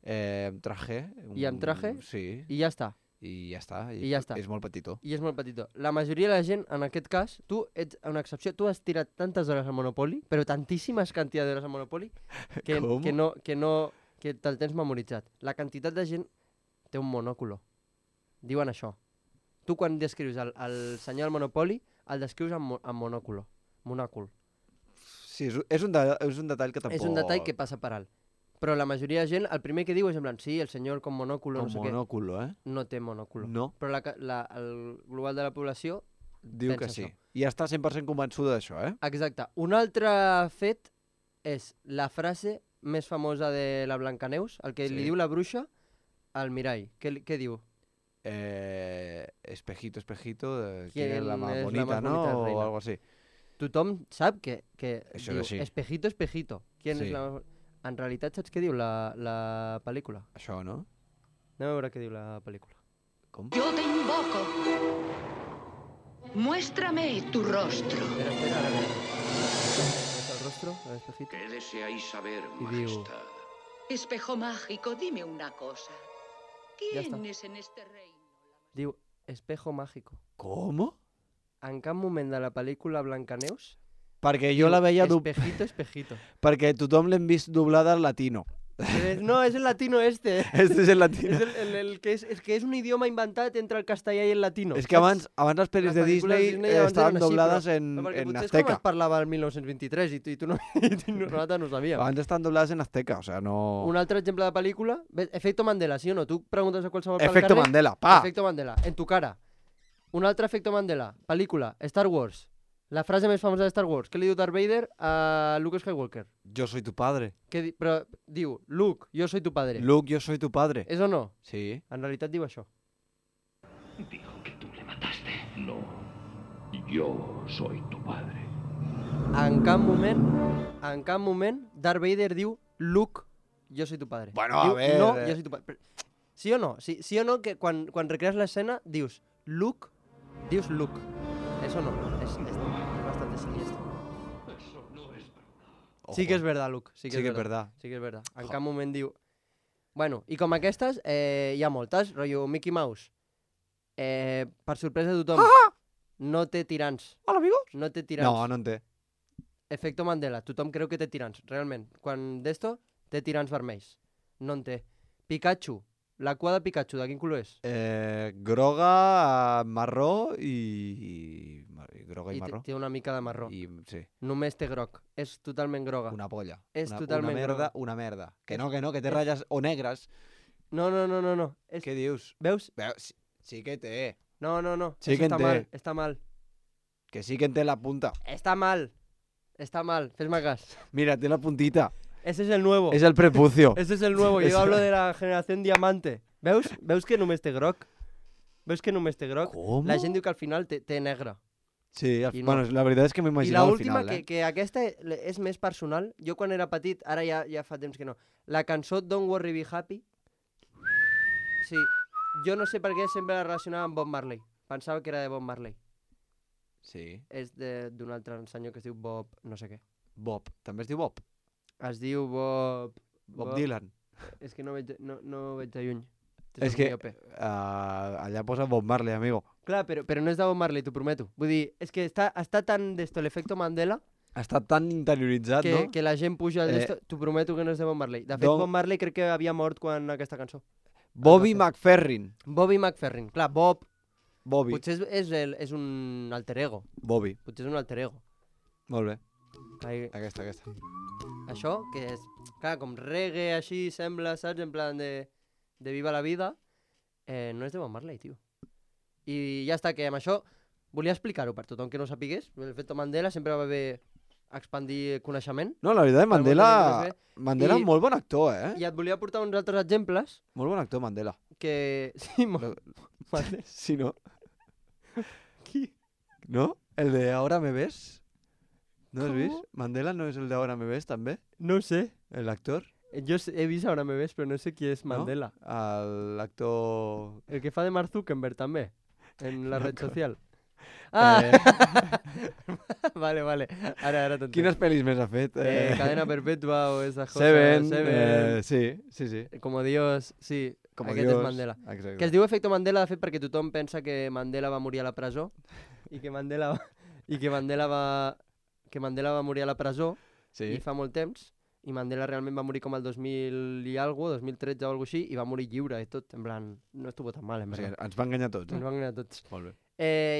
amb traje. I amb traje? Sí, i ja està. i ja està. I ja està. És molt petitó. I és molt petitó. La majoria de la gent, en aquest cas, tu ets una excepció. Tu has tirat tantes hores al Monopoly, però tantíssimes quantitats d'hores al Monopoly, Com? que te'l tens memoritzat. La quantitat de gent té un monòculo. Diuen això. Tu quan descrius el senyor del Monopoly, el descrius amb monòculo. Monòcul. Sí, és un detall que tampoc... És un detall que passa per alt. Però la majoria de gent, el primer que diu és en plan, sí, el senyor con monòculo, Com no sé monòculo, què. No té monòculo. No, Però el global de la població diu que pensa sí. això. I està 100% convençuda d'això, Exacte. Un altre fet és la frase més famosa de la Blancaneus, el que Sí. li diu la bruixa al mirall. Què diu? Espejito, espejito, ¿Quién ¿quién es la más es la bonita, más bonita no? reina? O algo así. Tothom sap que Això diu que sí. espejito, espejito. ¿Quién Sí. és la... En realitat saps què diu la pel·lícula? Això, no? Anem a veure què diu la pel·lícula. Com? Yo te invoco. Muéstrame tu rostro. Espera, ara ve. ¿Ves el rostro, el espejito? ¿Qué deseáis saber, Y digo- majestad? Espejo mágico, dime una cosa. Ya está. ¿Quién es en este reino? Diu espejo mágico. Com? En cap moment de la pel·lícula Blancaneus Perquè jo la veia... espejito, espejito. Perquè tothom l'hem vist doblada al latino. No, és el latino este. Este és el latino. És el que és un idioma inventat entre el castellà i el latino. És que abans les pel·lis Les de pel·lícules de Disney Disney abans estaven eren així, doblades però- en Perquè potser és com Azteca. es parlava el 1923 i tu no, nosaltres no sabíem. Abans estaven doblades en Azteca, o sea, no... Un altre exemple de pel·lícula, Efecto Mandela, sí o no? Tu preguntes a qualsevol pel Efecto carrer, Mandela, pa! Efecto Mandela, en tu cara. Un altre Efecto Mandela, pel·lícula, Star Wars. La frase més famosa de Star Wars. Què li diu Darth Vader a Luke Skywalker? Yo soy tu padre. Però diu, Luke, jo soy tu padre. Luke, yo soy tu padre. És o no? Sí. En realitat diu això. Dijo que tú le mataste. No, yo soy tu padre. En cap moment, Darth Vader diu, Luke, jo soy tu padre. Bueno, diu, a ver, No, jo soy tu padre. Sí o no? Sí o no que quan recrees l'escena dius, Luke, dius Luke. Eso no, es bastante siniestro. Eso no es verdad. Sí que és verdad, Luke. Sí que Sí que és és verdad. Sí que és verdad. En Jo. cap moment diu... Bueno, i com aquestes, hi ha moltes. Rotllo Mickey Mouse. Per sorpresa de tothom. No té tirants. Hola, amigos. No té tirants. No, no en té. Efecto Mandela. Tothom creu que té tirants, realment. Quan d'esto, té tirants vermells. No en té. Pikachu. La cua de Pikachu, de quin color és? Groga, marró i... Groga i I marró. té una mica de marró. I, sí, Només té groc. És totalment groga. una polla. És una, totalment una merda, groga. una merda. Que no, que té ratlles o negres. No. És... Què dius? Veus? Sí que té. No. Sí Eso que en està té. mal. Està mal. Que sí que en té la punta. Està mal. Està mal. Fes-me cas. Mira, té la puntita. Ese es el nuevo. És el prepucio. Ese es el nuevo. Eso. Yo hablo de la generación diamante. Veus? Veus que només té groc? Veus que només té groc? Com? La gent diu que al final té negre. Sí, I no. bueno, la veritat és que I m'imaginava al l'última, final, que aquesta és més personal, jo quan era petit, ara ja fa temps que no, la cançó Don't Worry Be Happy, sí, jo no sé per què sempre la relacionava amb Bob Marley. Pensava que era de Bob Marley. Sí. És d'un altre senyor que es diu Bob no sé què. Bob. També es diu Bob. Es diu Bob... Bob Dylan. És que no veig de lluny. És que allà posa Bob Marley, amigo. Clar, però no és de Bob Marley, t'ho prometo. Vull dir, és que està tan d'esto l'efecto Mandela Ha estat tan interioritzat, no? que la gent puja d'esto. T'ho prometo que no és de Bob Marley. De fet, Don- Bob Marley crec que havia mort quan aquesta cançó. Bobby es va McFerrin. Bobby McFerrin. Clar, Bob Bobby. potser és un alter ego. Bobby. Potser és un alter ego. Molt bé. Ai, Aquesta. això, que és, clar, com reggae així, sembla, saps? En plan de Viva la Vida, no és de Bob Marley, tio. I ja està, que amb això volia explicar-ho per tothom que no sapigués. L'efecte Mandela sempre va bé expandir coneixement. No, la veritat, Per molta gent que Mandela... no Mandela, I- molt bon actor, eh? I et volia portar uns altres exemples Molt bon actor, Mandela. que... Sí, molt... Mandela. Sí, no? Qui? ¿No? El de Ahora me ves. ¿No has ¿Cómo? visto? Mandela no es el de Ahora me ves, també? No sé. El actor? Jo he vist Ahora me ves, però no sé qui és No? Mandela. L'actor... El que fa de Mark Zuckerberg, també, en la No, red clar. social. Ah! vale. Ara t'entenc. Quines pel·lis més ha fet? Cadena Perpetua o esas cosas. Seven. Sí. Como Dios, sí. Com Aquest és Mandela. Exacte. Que es diu efecte Mandela, de fet, perquè tothom pensa que Mandela va morir a la presó i que Mandela va morir a la presó Sí. i fa molt temps, i Mandela realment va morir com el 2000 i algo, 2013 o algo així, i va morir lliure i tot, en plan, no estuvo tan mal, en O sigui, veritat. ens va enganyar tots, Ens eh? van enganyar tots. Molt bé.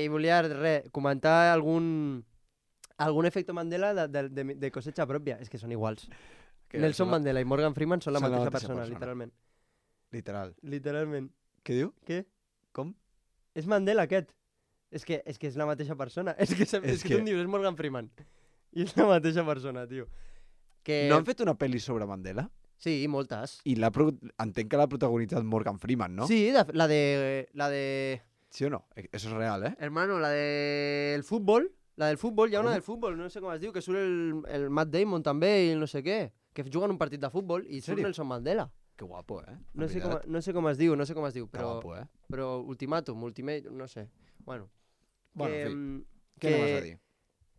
I volia, comentar algun efecte Mandela de cosecha pròpia. És que són iguals. Que Nelson són la- Mandela i Morgan Freeman són la són la mateixa mateixa persona, persona. literalment. Literal. Literalment. Què diu? Què? Com? És Mandela, aquest. És que és la mateixa persona. És que tu em dius, és Morgan Freeman. I és la mateixa persona, tio. Que... No han fet una pel·li sobre Mandela? Sí, moltes. I entenc que l'ha protagonitzat Morgan Freeman, no? Sí, la de... ¿Sí o no? Eso es real, ¿eh? Hermano, la del fútbol. La del fútbol, hi ha una del fútbol, no sé com es diu, que surt el Matt Damon també i el no sé què. Que juguen un partit de futbol i surt sèrio? Nelson Mandela. Que guapo, ¿eh? No sé com es diu, Que guapo, ¿eh? però Ultimatum, no sé. Bueno, Bueno, que, en fi. Què anaves a dir?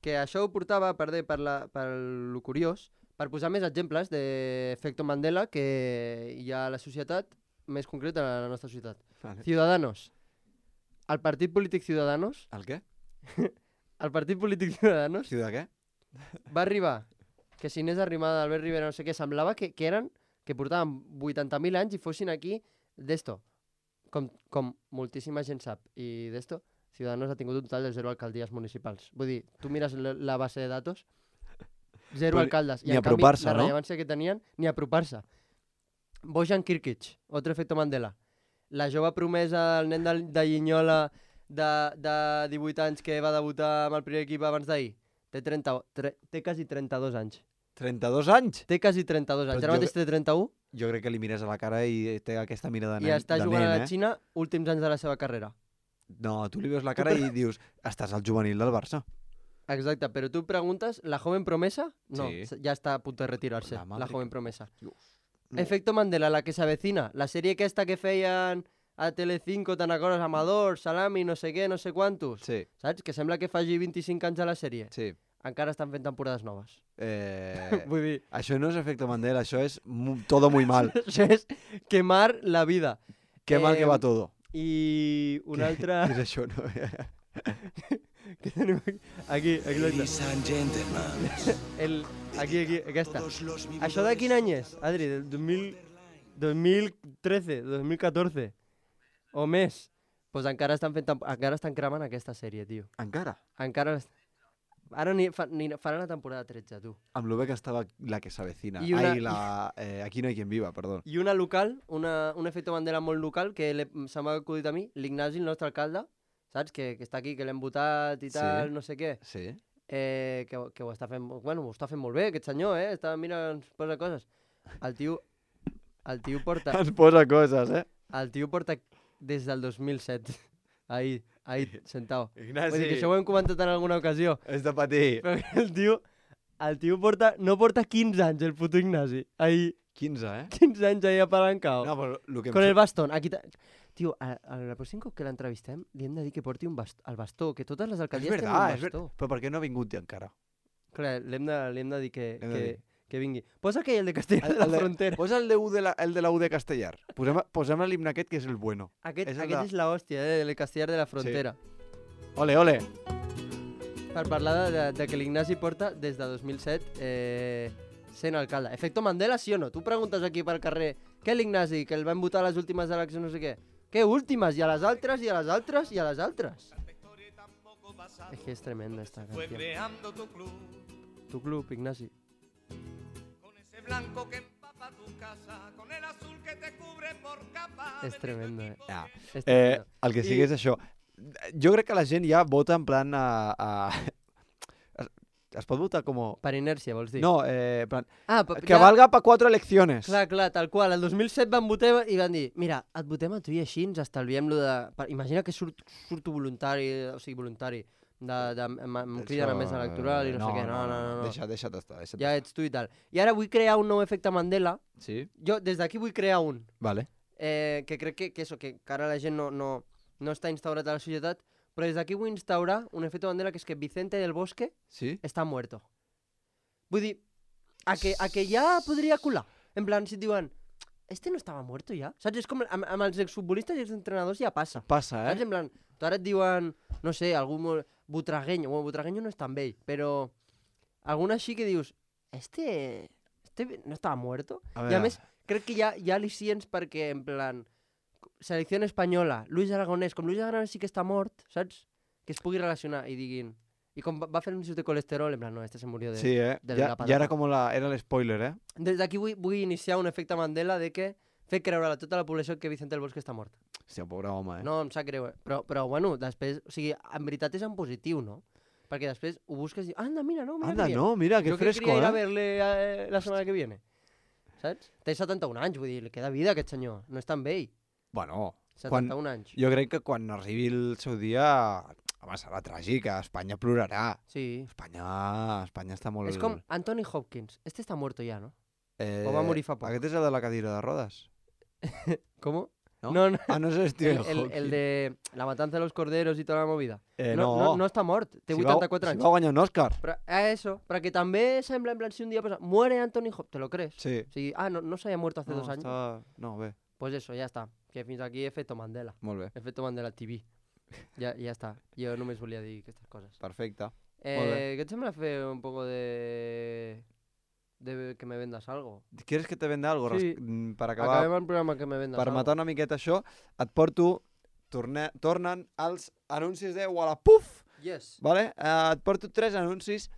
que això ho portava per lo curiós, per posar més exemples d'efecte Mandela que hi ha a la societat, més concret a la nostra societat. Vale. Ciudadanos. El partit polític Ciudadanos, El què? el partit polític Ciudadanos Ciudad què? va arribar, que si Inés Arrimadas, Albert Rivera, no sé què, semblava que eren que portaven 80.000 anys i fossin aquí d'esto. Com moltíssima gent sap. I d'esto, Ciudadanos ha tingut un total de 0 alcaldies municipals. Vull dir, tu mires la base de datos, 0 Però alcaldes. I ni en canvi, apropar-se, la no? rellevància que tenien, ni apropar-se. Bojan Kirkic, otro efecto Mandela. La jove promesa, el nen de Llinyola de 18 anys que va debutar amb el primer equip abans d'ahir. Té quasi 32 anys. 32 anys? Té quasi 32 anys. Però Ara mateix té 31 Jo crec que li mires a la cara i té aquesta mirada de i nen. està de jugant nen, a la Xina últims anys de la seva carrera. No, tu li veus la cara i dius, estàs al juvenil del Barça. Exacte, però tu preguntes, ¿la joven promesa? No, Sí. ya está a punto de retirarse, La madre la joven que- promesa. No. Efecto Mandela, la que se avecina. La sèrie aquesta que feien a Telecinco, te'n recordes? Amador, Salami, no sé què, no sé quantos. Sí, Saps? Que sembla que faci 25 anys a la sèrie. sí. Encara estan fent temporades noves. Eh, Vull dir, això no és efecte Mandela, això és todo muy mal. això és quemar la vida. Qué mal que va todo. I una altra... Què és això? No? que tenim aquí, exacte. Ladies and gentlemen, Aquí, aquesta. todos los Això de quin any és, Adri? Del 2013, 2014 o més? Pues encara estan cremant aquesta sèrie, tio. Encara? Encara... Ara faran la temporada 13, tu. Amb lo bé que estava la que s'avecina. I una- Aquí no hay quien viva, perdó. I una local, un efecte Mandela molt local, que se m'ha acudit a mi, l'Ignasi, el nostre alcalde, saps? Que està aquí, que l'hem votat i Sí. tal, no sé què. Sí? Que ho està fent, bueno, ho està fent molt bé, aquest senyor, està, mira, ens posa coses. El tio porta, Ens posa coses, eh? el tio porta des del 2007, ahí, sentado. Ignasi, Vull dir que això ho hem comentat en alguna ocasió, és de patir. però que el tio no porta 15 anys, el puto Ignasi, ahí, 15, eh? 15 anys ahí apalancado, No, però el que em con el bastón. Aquí tio, a la pròxim cop que l'entrevistem, li hem de dir que porti el bastó, que totes les És alcaldies tenen un veritat, és bastó. veritat. Però per què no ha vingut encara? Clar, li hem de dir Hem de dir. que vingui. Posa aquell, el de Castella de la Frontera. Posa el de la U de Castellar. Posem l'himne aquest, que és el bueno. Aquest és el és la hòstia, el Castellar de la Frontera. Ole, ole. Per parlar de que l'Ignasi porta des de 2007 sent alcalde. Efecto Mandela, sí o no? Tu preguntes aquí pel carrer, què l'Ignasi, que el van votar a les últimes eleccions, no sé què? Què últimes? I a les altres, i a les altres, i a les altres. És que és tremenda esta Fue canción. creando tu club, Tu club, Ignasi. con ese blanco que empapa tu casa, con el azul que te cubre por capa. És tremendo, eh? Ja. És tremendo. El que sigui I- és això. Jo crec que la gent ja vota en plan es pot votar com... Per inèrcia, vols dir? No, en plan... Ah, Que valga para 4 elecciones. Clar, tal qual. El 2007 van votar i van dir, mira, et votem a tu i així ens estalviem lo de... Imagina que surto voluntari, o sigui, voluntari, em criden a mesa electoral i no sé què. No. Deixa't estar. Ja ets tu i tal. I ara vull crear un nou efecte Mandela. Sí? Jo des d'aquí vull crear un. Vale. Que crec que ara la gent no està instaurat a la societat, però des d'aquí vull instaurar un efecte Mandela que és que Vicente del Bosque Sí? està muerto. Vull dir, a que ja podria colar. En plan, si et diuen, este no estava muerto ja? Saps? És com amb els exfutbolistes i els entrenadors ja passa. Passa, Saps? En plan, tu ara et diuen, no sé, algú molt... Butragueño. Bueno, Butragueño no és tan vell, però algun així que dius, este no estava muerto? I a més, crec que hi ha al·licients perquè, en plan, selecció espanyola, Luis Aragonès, com Luis Aragonès sí que està mort, saps? Que es pugui relacionar i diguin... I com va fer un de colesterol, en plan, no, este se murió de... Sí, de ja la patata. era com era l'espoiler, eh? Des d'aquí vull iniciar un efecte Mandela de que fer creure a tota la població que Vicente del Bosque està mort. Hòstia, pobre home, eh? No, em sap greu, però bueno, després... O sigui, en veritat és en positiu, no? Perquè després ho busques i dius, anda, mira, no, mira Anda, que bien. no, mira, que Yo que fresco, quería ir a eh? verle la setmana que viene. Saps? Té 71 anys, vull dir, li queda vida a aquest senyor. No és tan vell. Bueno, 71 anys. jo crec que quan arribi el seu dia... Home, serà tràgic, Espanya plorarà. Sí. Espanya està molt... És com Anthony Hopkins. Este està muerto ja, no? Eh, o va morir fa poc. Aquest és el de la cadira de rodes. ¿Cómo? No? No. Ah, no és Stephen El Hawking. de la matanza de los corderos i tota la movida. No, no està mort. Té Si 84 anys. Si va guanyar un Òscar. Però, eso, perquè també sembla en plan si un dia pasa, muere Anthony Hopkins, ¿te lo crees? Sí. O sigui, no se había muerto hace 2 años. No, bé, Pues eso, ya está. Que fins aquí efecto Mandela. molt bé. Efecto Mandela TV. Ja està. Jo només volia dir aquestes coses. Perfecte. Molt bé. Què et sembla fer un poco de de que me vendas algo. ¿Quieres que te venda algo? Sí. Per acabar, Acabem el programa que me vendas per algo. matar una miqueta això, et porto... Tornen els anuncis de Wallapuf, Yes. ¿vale? Et porto 3 anuncis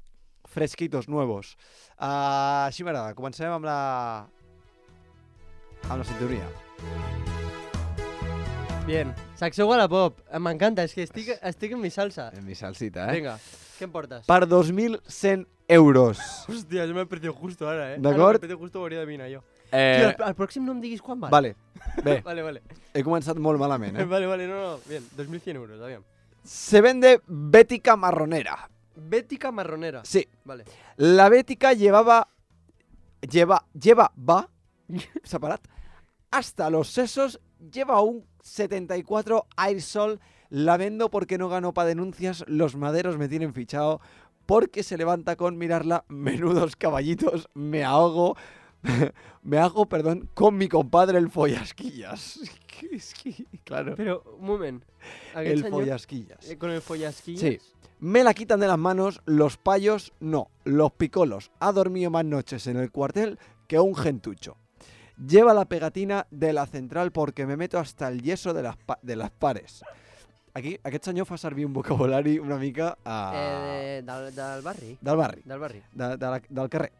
fresquitos, nuevos. Així m'agrada. Comencem amb la sintonia. Bien. Secció Wallapop. M'encanta, és que estic en mi salsa. En mi salsita, Vinga, què em portes? Per 2.100 euros. Hòstia, jo m'he precio justo ara, eh? D'acord. El precio justo ho hauria de mirar jo. Eh, Tio, al pròxim no em diguis quan val. vale, bé, Vale. he començat molt malament, eh? Vale, no. Bien, 2.100 euros, aviam. Se vende Bética marronera. Bética marronera. Sí, Vale. la Bética llevaba separat, hasta los sesos, lleva un 74 Airsol, la vendo porque no ganó pa' denuncias, los maderos me tienen fichado, porque se levanta con mirarla, menudos caballitos, me hago, con mi compadre el follasquillas. Es que, claro, Però, un moment. Aquest el senyor, follasquillas. con el follasquillas. Sí. Me la quitan de las manos, los payos no, los picolos. Ha dormido más noches en el cuartel que un gentucho. Lleva la pegatina de la central porque me meto hasta el yeso de las pares. Aquí, aquest senyor fa servir un vocabulari una mica Del barri. del barri, Del barri. del carrer.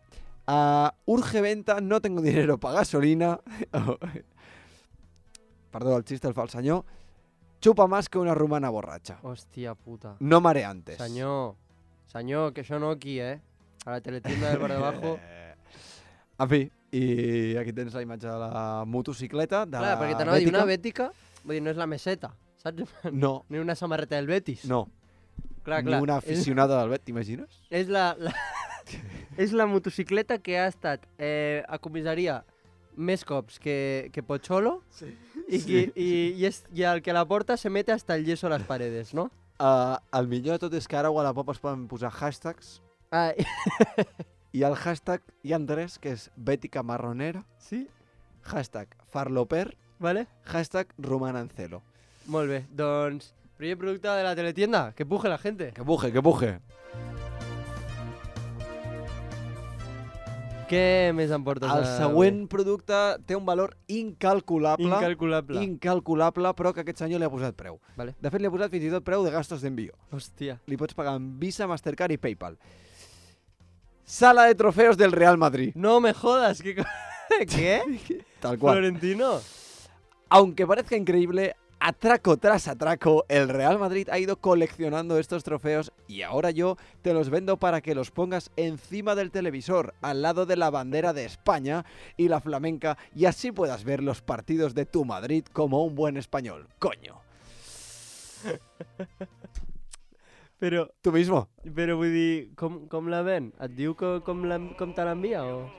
Urge venta, no tengo dinero para gasolina. Perdó, el xiste el fa el senyor. Chupa más que una rumana borratxa. Hòstia puta. No mareantes. Senyor, que això no aquí, eh? A la teletienda del bar de abajo. En fi, i aquí tens la imatge de la motocicleta, de Clar, la perquè t'anava a dir Bética. una Bética, vull dir, no és la meseta, saps? No, Ni una samarreta del Betis. no. clar. Ni una aficionada del Bet, t'imagines? És és la motocicleta que ha estat a comissaria més cops que Pocholo i el que la porta se mete hasta el yeso a les paredes, no? El millor de tot és que ara a Wallapop es poden posar hashtags Ah, i el hashtag hi ha 3, que és Bética marronera, sí? hashtag farloper, Vale? hashtag romanancelo. Molt bé, doncs, primer producte de la teletienda, que puje la gente. Que puje, que puje. Què més em portes? El següent producte té un valor incalculable, Incalculable. però que aquest senyor li ha posat preu. Vale. De fet, li ha posat fins i tot preu de gastos d'envío. Hòstia. Li pots pagar amb Visa, Mastercard i PayPal. Sala de trofeos del Real Madrid. No me jodas, ¿qué? Tal cual. Florentino. Aunque parezca increíble, atraco tras atraco, el Real Madrid ha ido coleccionando estos trofeos y ahora yo te los vendo para que los pongas encima del televisor, al lado de la bandera de España y la flamenca, y así puedas ver los partidos de tu Madrid como un buen español. ¡Coño! Però Tú mismo. vull dir, com la ven? Et diu com te l'envia o...?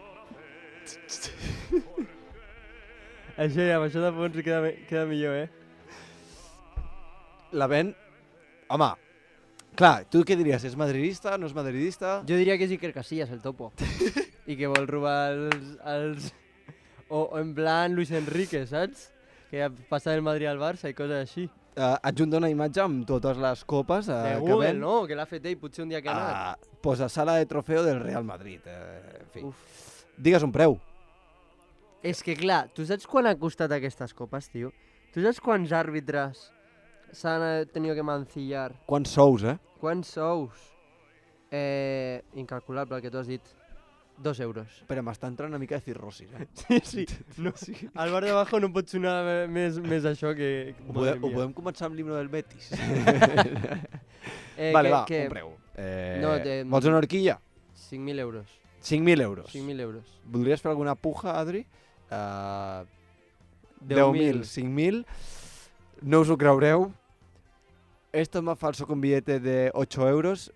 Això ja, amb això de fons queda millor, eh? La ven... Home, clar, tu què diries? És madridista, no és madridista? Jo diria que és Iker Casillas, el topo. I que vol robar els... O en plan Luis Enrique, saps? Que passa del Madrid al Barça i coses així. Adjunta una imatge amb totes les copes De que Google, ven. no? Que l'ha fet ell potser un dia que ha anat. Posa sala de trofeo del Real Madrid. En fi. Uf. Digues un preu. És que clar, tu saps quan ha costat aquestes copes, tio? Tu saps quants àrbitres s'han tenido que mancillar? Quants sous, eh? Quants sous? Incalculable el que tu has dit. 2 euros. Espera, m'està entrant una mica de cirrosis, eh? Sí. No, al bar de abajo no pot sonar més això que... Ho podem començar amb l'himno del Betis? Vale, Va, un preu. Vols una horquilla? 5.000 euros. 5.000 euros. 5.000 euros. Voldries fer alguna puja, Adri? 10.000. 5.000. No us ho creureu. Esto es más falso que un billete de 8 euros.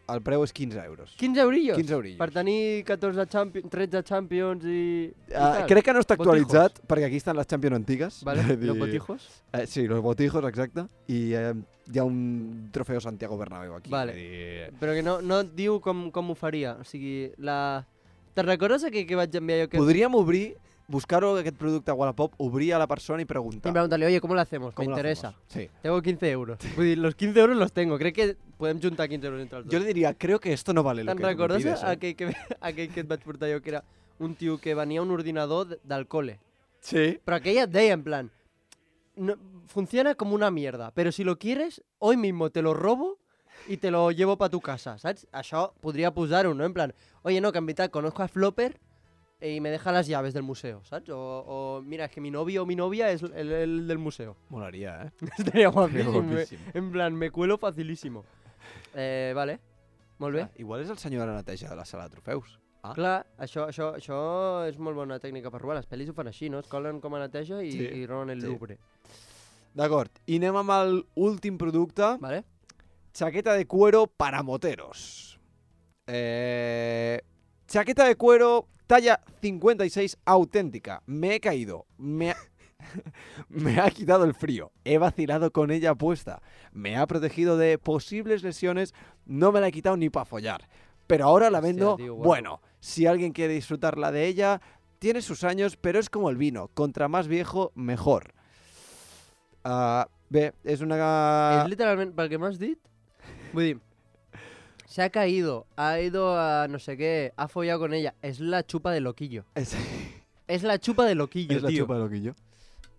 El preu és 15 euros. 15 eurillos? 15 eurillos. Per tenir 13 Champions i tal. Crec que no està actualitzat, perquè aquí estan les Champions antigues. Vale, Vull dir- los botijos. Sí, los botijos, exacte. I hi ha un trofeu Santiago Bernabéu aquí. Vale. Vull dir, Però que no et diu com ho faria. O sigui, Te'n recordes que vaig enviar jo que... Podríem obrir buscar aquest producte a Wallapop, obrir a la persona i Y preguntar. preguntarle, oye, ¿cómo lo hacemos? Me ¿Cómo lo interesa. hacemos? Sí. Tengo 15 euros. Vull dir, los 15 euros los tengo. Crec que podem juntar 15 euros entre els dos. Yo le diría, creo que esto no vale lo Te'n que tú me recordes pides, aquell que et vaig portar jo, que era un tio que venia un ordinador del cole? Sí. Però aquella et deia, en plan, no, funciona como una mierda, pero si lo quieres, hoy mismo te lo robo y te lo llevo para tu casa, ¿sabes? Això podria posar-ho, ¿no? En plan, oye, no, que en veritat conozco a Flopper y me deja las llaves del museo, ¿sabes? O mira, es que mi novio o mi novia es el del museo. Molaría, ¿eh? Estaría guapísimo. guapísimo. En plan, me cuelo facilísimo. Vale, molt bé. Igual és el senyor de la neteja de la sala de trofeus. Ah. Clar, això és molt bona tècnica per robar. Les pel·lis ho fan així, no? Es colen com a neteja i, Sí, i roben el sí. Louvre. D'acord, i anem amb l'últim producte. Vale? Chaqueta de cuero para moteros. Chaqueta de cuero talla 56 auténtica. Me he caído. Me ha quitado el frío. He vacilado con ella puesta. Me ha protegido de posibles lesiones. No me la he quitado ni para follar. Pero ahora la Hostia, vendo. tío, guapo. Bueno, si alguien quiere disfrutarla de ella, tiene sus años, pero es como el vino. Contra más viejo, mejor. Bé, és una... És literalment, pel que m'has dit, vull dir, se ha caído, ha ido a no sé qué, ha follado con ella. Es la chupa de loquillo. És la chupa de loquillo, És la tio. xupa de loquillo.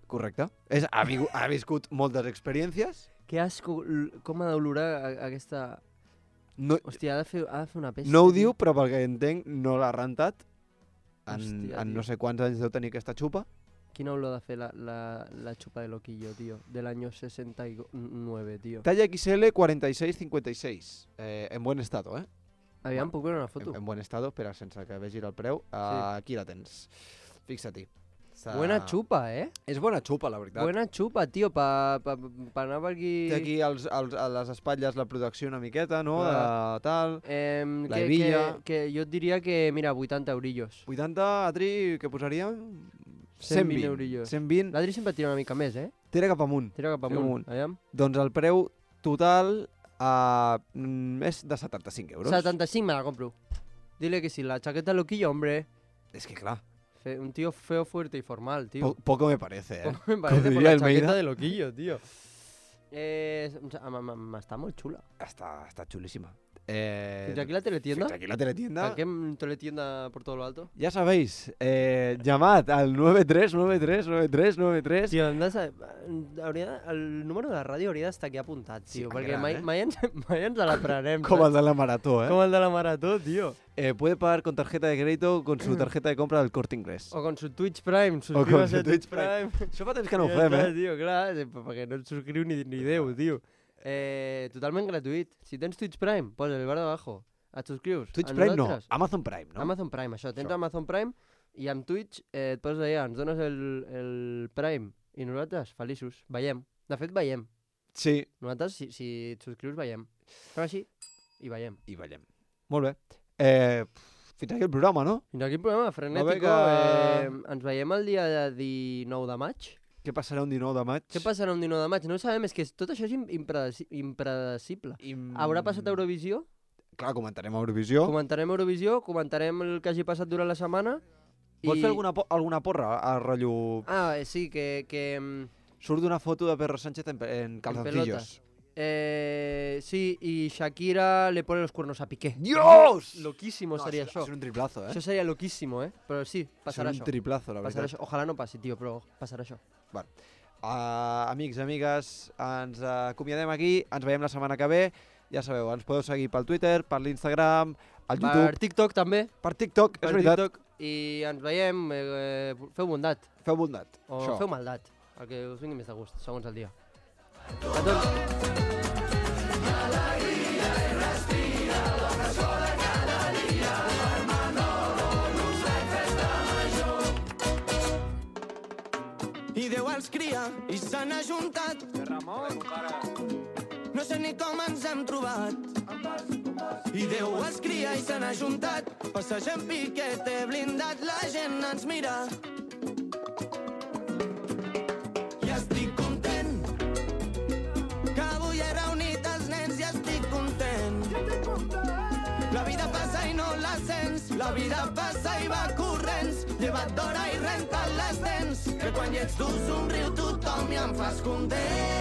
Correcte. Ha viscut moltes experiències. Que asco, com ha d'olorar aquesta... No, Hòstia, ha de fer una pesta. no ho tio. diu, però pel que entenc no l'ha rentat. Hòstia, En tio. no sé quants anys deu tenir aquesta xupa. Quina olor de fer la chupa de loquillo, tío? Del año 69, tío. Talla XL 46-56. En buen estado, eh? Aviam, puc veure una foto? En buen estado, espera, sense que vegi el preu. Aquí la tens. Fixa-t'hi. Buena chupa, eh? És bona xupa, la veritat. Buena chupa, tío, pa anar per aquí... Té aquí a les espatlles la protecció una miqueta, no? Clar. De tal. La que, hebilla. que jo et diria que, mira, 80 eurillos. 80, Adri, què posaríem? 120 eurillos. 120. L'Adri sempre tira una mica més, eh? Tira cap amunt. Tira cap Tira amunt. Aviam. Doncs el preu total és de 75 euros. 75 me la compro. Dile que sí, la chaqueta loquillo, hombre. És que clar, Un tío feo, fuerte y formal, tío. poco me parece, eh? Me parece por diria la Almeida. chaqueta de loquillo, tío. Està molt xula. Està xulísima. Fins aquí la teletienda. Fins aquí la teletienda. Saquem teletienda por todo lo alto. Ya sabéis, llamad al 93. Tio, hem de saber... el número de la ràdio hauria d'estar aquí apuntat, tio, Sí, perquè gran, mai ens l'aprenem. Como el de la marató, Com el de la marató, tio. Puede pagar con tarjeta de crédito con su tarjeta de compra del Corte Inglés. O con su Twitch Prime, con suscríbase su a Twitch Twitch Prime. Prime. Això fa temps que no ho Ja fem, està, eh? Tio, clar, perquè no et subscriu ni Déu, tio. Totalment gratuït. Si tens Twitch Prime, posa el bar d'abajo. Et subscrius. Twitch A Prime no, nosaltres. Amazon Prime, no? Amazon Prime, això. Tens Això. Amazon Prime i amb Twitch et poses allà, ens dones el Prime i nosaltres feliços. Veiem. De fet, veiem. Sí. Nosaltres, si et subscrius, veiem. Fem així i veiem. I veiem. Molt bé. Fins aquí el programa, no? Fins aquí el programa frenètico. que- Ens veiem el dia 19 de maig. Què passarà un 19 de maig? Què passarà un 19 de maig? No ho sabem, és que tot això és impredecible. Haurà passat Eurovisió? Clar, comentarem Eurovisió. Comentarem Eurovisió, comentarem el que hagi passat durant la setmana. Vols fer alguna porra a rotllo... Sí, que Surt una foto de Pedro Sánchez en calzoncillos. sí, y Shakira le pone los cuernos a Piqué. ¡Dios! Loquísimo sería això. això. És un triplazo, eh? Això seria loquísimo, eh? Però sí, passarà és un això. triplazo, la Passarà veritat. això. Ojalà no passi, tio, però passarà això. Amics, amigues, ens acomiadem aquí. Ens veiem la setmana que ve. Ja sabeu, ens podeu seguir pel Twitter, per l'Instagram, al Per YouTube, TikTok també. per TikTok, és Per veritat. TikTok. I ens veiem, feu bondat. Feu bondat. O Això. feu maldat. El que us vingui més de gust, segons el dia. A tots. I Déu els cria i s'han ajuntat. No sé ni com ens hem trobat. I Déu els cria i s'han ajuntat. Passegem piquet, he blindat, la gent ens mira. I estic content que avui he reunit els nens i estic content. La vida passa i no la sents. La vida passa i va corrents. Lleva't d'hora i renta Quan ets tu somriu tothom i em fas content.